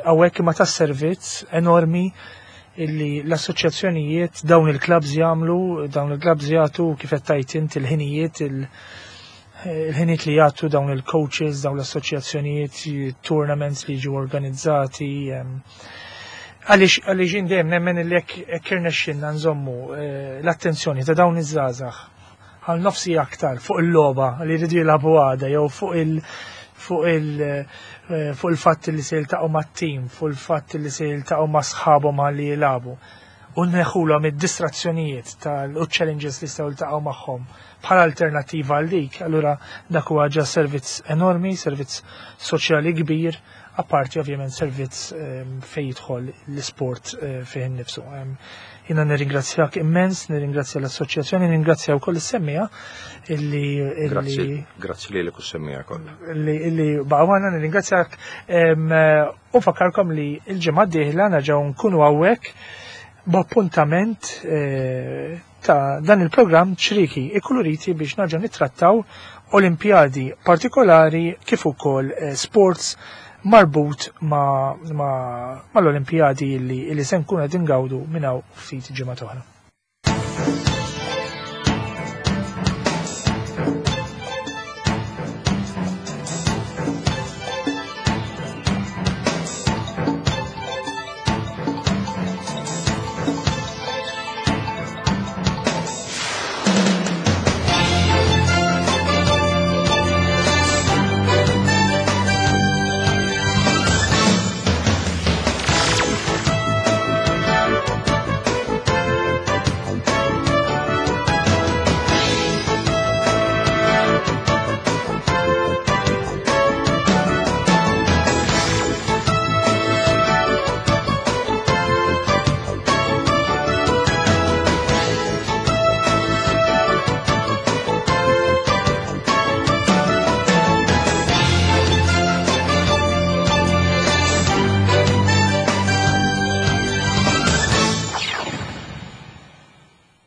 hawnhekk imma tas-servizz enormi illi l-assoċjazzjonijiet, dawn il-clubs jagħmlu, dawn il-clubs jagħtu, kif qed tajt int il-ħinijiet, il-ħinijiet li jagħtu dawn il-coaches, dawn l-assoċjazzjonijiet, tournaments li jiġu organizzati. Għaliex jien dejjem nemmen li jekk irnexxinna nżommu l-attenzjoni ta' dawn iż-żgħażagħ għal nofsi aktar fuq il-logħba li jridu jilagħbu għada jew fuq il-fatt li se jiltaqgħu mat-tim, fuq il-fatt li se jiltaqgħu ma' sħabhom li jilagħbu. U neħħulhom id-distrazzjonijiet tal-challenges li jistgħu jiltaqgħu magħhom bħala alternattiva għal dik, allura dak huwa ġa servizz enormi, servizz soċjali kbir, apparti ovvjament servizz fejn jidħol l-isport fih innifsu. Jiena nirringrazzjak immens, nirringrazzja l-assoċjazzjoni, nirringrazzja wkoll is-semmiegħa illi Grazzi, grazzi lilek u s-semmiegħa kollha. Illi baqgħu, nirringrazzjak u fakkarkom li l-ġimgħa d-dieħla nerġgħu nkunu hawnhekk b'appuntament ta' dan il-programm Ċrieki Ikkuluriti biex nerġgħu nittrattaw Olimpjadi partikolari kif ukoll sports marbut ma' mal-Olimpjadi illi se nkunu qed ingawdu minn hawn ftit ġimgħa oħra.